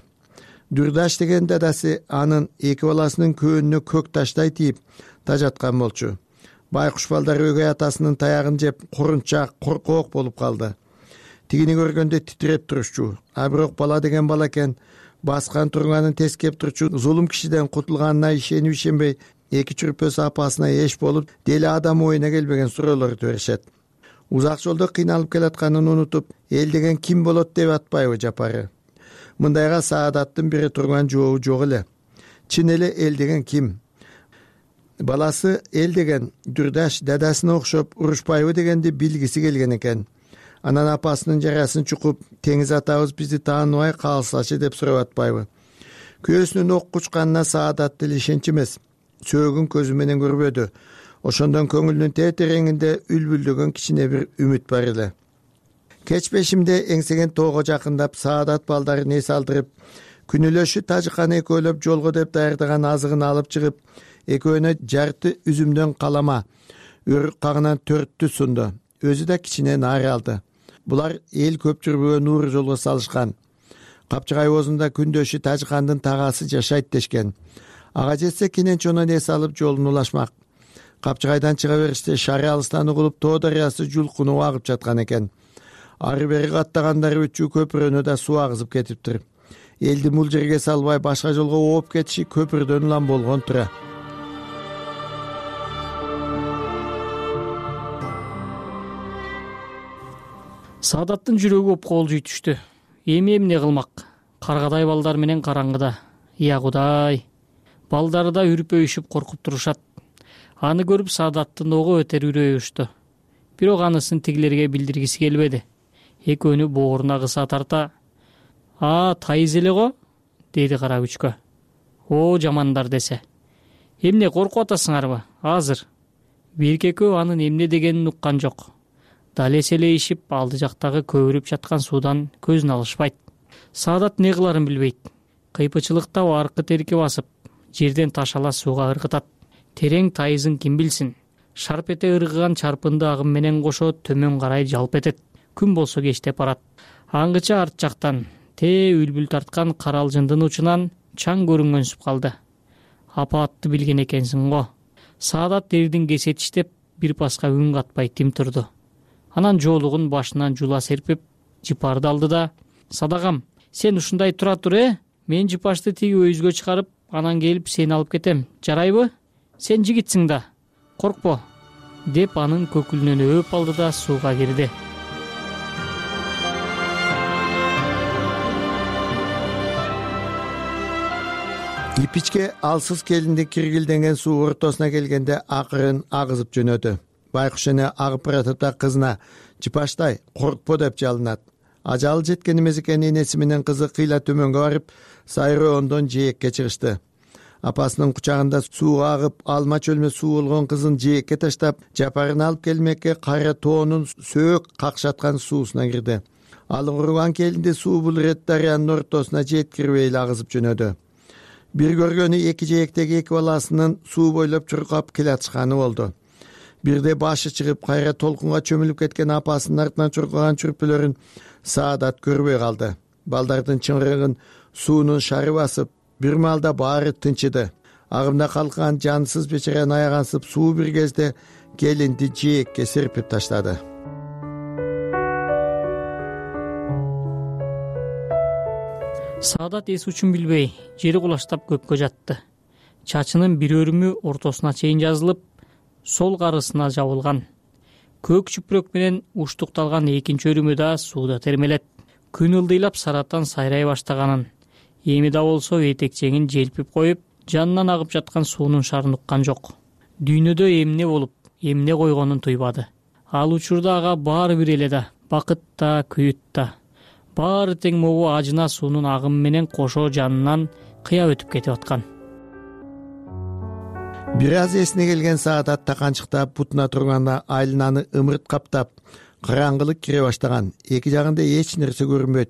Дүрдаш деген дадасы анын эки баласынын көөнүнө көк таштай тийип тажаткан болчу. Байкуш балдар өгөй атасынын таягын жеп, корунчак, коркоок болуп калды. Тигини көргөндө титиреп турушчу. А бирок бала деген бала экен, баскан турганын тескеп турчу, зулум кишиден кутулганына ишенип ишенбей, эки чүрпөс апасына эш болуп, дели адам оюна келбеген суроолорду беришет. Узак жолдо кыйналып келатканын унутуп, эл деген ким болот деп атпайбы Жапары? Мындайга Саадаттын бири турган жообу жок эле. Чын эле эл деген ким? Баласы эл деген Дүрдаш дадасына окшоп урушпайбы дегенди билгиси келген экен. Анан апасынын жарасын чукуп, теңиз атабыз бизди тааныбай калсачы деп сурап атпайбы? Күйөөсүнүн ок учканына Саадат деле ишенч эмес. Сөөгүн көзү менен көрбөдү. Ошондон көңүлүнүн тетереңинде үлбүлдөгөн кичине бир үмүт бар эле. Кеч бешимде эңсеген тоого жакындап, Саадат балдарын эс алдырып, күнүлөшү Тажыканы экөөлөп жолго деп даярдаган азыгын алып чыгып, экөөнө жарты үзүмдөн калама, өрүк кагынан төрттү сунду. Өзү да кичине наары алды. Булар эл көп жүрбөгөн нуур жолго салышкан. Капчыгай оозунда күндөшү Тажыкандын тагасы жашайт дешкен. Ага жетсе кенен чонон эс алып жолун улашмак. Капчыгайдан чыга бериште шары алыстан угулуп Тоо дарыясы жулкунуп агып жаткан экен. Ары бери каттагандары үчүү көпүрөнү да суу агызып кетиптир. Элди бул жерге салбай башка жолго ооп кетиши көпүрдөн улам болгон тура. Саадаттын жүрөгү опколжуй түштү. Эми эмне кылмак? Каргадай балдар менен караңгыда. Я Кудай. Балдары да үрпөйүшүп коркуп турушат. Аны көрүп Саадаттын ого өтер үрөйү учту. Бирок анысын тигилерге билдиргиси келбеди. Экөөнү бооруна кыса тарта: "А, тайыз эле го?" деди кара күчкө. "О, жамандар" десе. "Эмне коркуп атасыңарбы? Азыр." Бирки экөө анын эмне дегенин уккан жок. Дал эселейишип, алды жактагы көбүрүп жаткан суудан көзүн алышпайт. Саадат не кыларын билбейт. Кыйпычылыкта аркы терки басып, жерден таш ала сууга ыргытат. Терең тайызын ким билсин? Шарп эте ыргыган чарпынды агым менен кошо төмөн карай жалп этет. Күн болсо кечтеп барат. Аңгыча арт жактан тээ үлбүл тарткан каралжындын учунан чаң көрүнгөнсүп калды. Апа атты билген экенсиң го. Саадат дердин кесетиштеп, бир паска үн катпай тим турду. Анан жоолугун башынан жула серпип, жыпарды алды да: "Садагам, сен ушундай тура тур, э? Мен жыпашты тиги өйүзгө чыгарып, анан келип сени алып кетем. Жарайбы? Сен жигитсиң да. Коркпо", деп анын көкүлүнөн өөп алды да сууга кирди. Ипичке алсыз келинди киргилденген суу ортосуна келгенде акырын агызып жөнөдү. Байкуш эне агып баратып да кызына: "Жыпаштай, коркпо" деп жалынат. Ажалы жеткен эмес экен энеси менен кызы кыйла төмөнгө барып, сайроондон жээкке чыгышты. Апасынын кучагында сууга агып, алма чөлмө суу болгон кызын жээкке таштап, жапарын алып келмекке кара тоонун сөөк какшаткан суусуна кирди. Ал уруган келинди суу бул ирет дарыянын ортосуна жеткирбей эле агызып жөнөдү. Бир көргөнү эки жээктеги эки баласынын суу бойлоп чуркап келатышканы болду. Бирде башы чыгып, кайра толкунга чөмүлүп кеткен апасынын артынан чуркаган чүрпөлөрүн Саадат көрбөй калды. Балдардын чыңгырыгын суунун шары басып, бир маалда баары тынчыды. Агымда калкан жансыз бечараны аягансып, суу бир кезде келинди жээкке серпип таштады. Саадат эс учун билбей, жери кулаштап көккө жатты. Чачынын бир өрүмү ортосуна чейин жазылып, сол карысына жабылган. Көк чүпүрөк менен уштукталган экинчи өрүмү да сууда термелет. Күн ылдыйлап сараттан сайрай баштаганын, эми да болсо этекчеңин желпип коюп, жанынан агып жаткан суунун шарын уккан жок. Дүйнөдө эмне болуп, эмне койгонун туйбады. Ал учурда ага баары бир эле да, бакыт да, күйүт да. Баары тең могу ажына суунун агымы менен кошо жанынан кыя өтүп кетип аткан. Бир аз эсине келген Саадат таканчыктап бутуна турганда айлананы ымырт каптап, караңгылык кире баштаган. Эки жагында эч нерсе көрүнбөйт.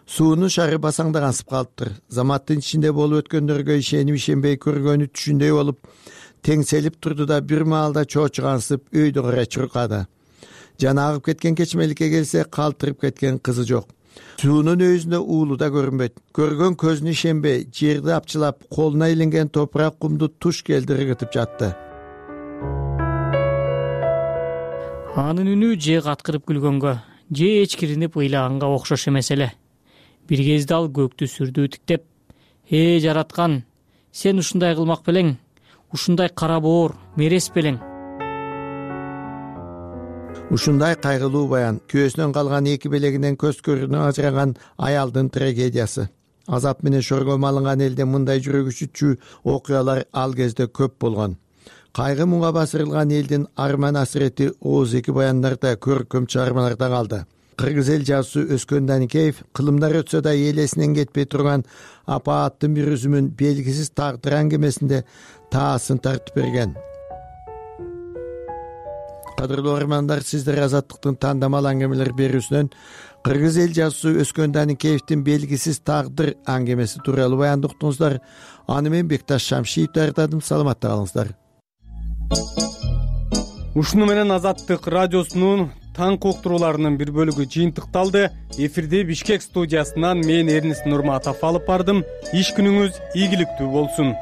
Суунун шары басаңдагансып калыптыр. Заматтын ичинде болуп өткөндөргө ишенип ишенбей көргөнү түшүндөй болуп, теңселип турду да бир маалда чоочугансып өйдө карай чуркады. Жаны агып кеткен кечмеликке келсе, калтырып кеткен кызы жок. Суунун өйүзүндө уулу да көрүнбөйт. Көргөн көзүнө ишенбей, жерди апчылап, колуна илинген топурак кумду туш келди ыргытып жатты. Анын үнү же каткырып күлгөнгө, же эчкиринип ыйлаганга окшош эмес эле. Бир кезде ал көктү сүрдүү тиктеп: "Э, жараткан, сен ушундай кылмак белең, ушундай кара боор, мерес белең." Ушундай кайгылуу баян күйөөсүнөн калган эки белегинен көз көрүнө ажыраган аялдын трагедиясы. Азап менен шорго малынган элде мындай жүрөк үчүтчү окуялар ал кезде көп болгон. Кайгы муңга басырылган элдин арман асирети ооз эки баяндарда, көркөм чыгармаларда калды. кыргыз эл жазуусу Өскөн Даникеев кылымдар өтсө да элесинен кетпей турган апа аттын бир үзүмүн белгисиз тагдыр аңгемесинде таасын тартып берген. Кадырлуу угармандар, сиздер Азаттыктын тандамал аңгемелер берүүсүнөн кыргыз эл жазуусу Өскөн Даникеевдин белгисиз тагдыр аңгемеси тууралуу баянды уктуңуздар. Аны мен Бекташ Шамшиев даярдадым. Саламатта калыңыздар. Ушуну менен Азаттык радиосунун таңкы уктурууларынын бир бөлүгү жыйынтыкталды. Эфирде Бишкек студиясынан мен Эрнис Нурматов алып бардым. Иш күнүңүз ийгиликтүү болсун.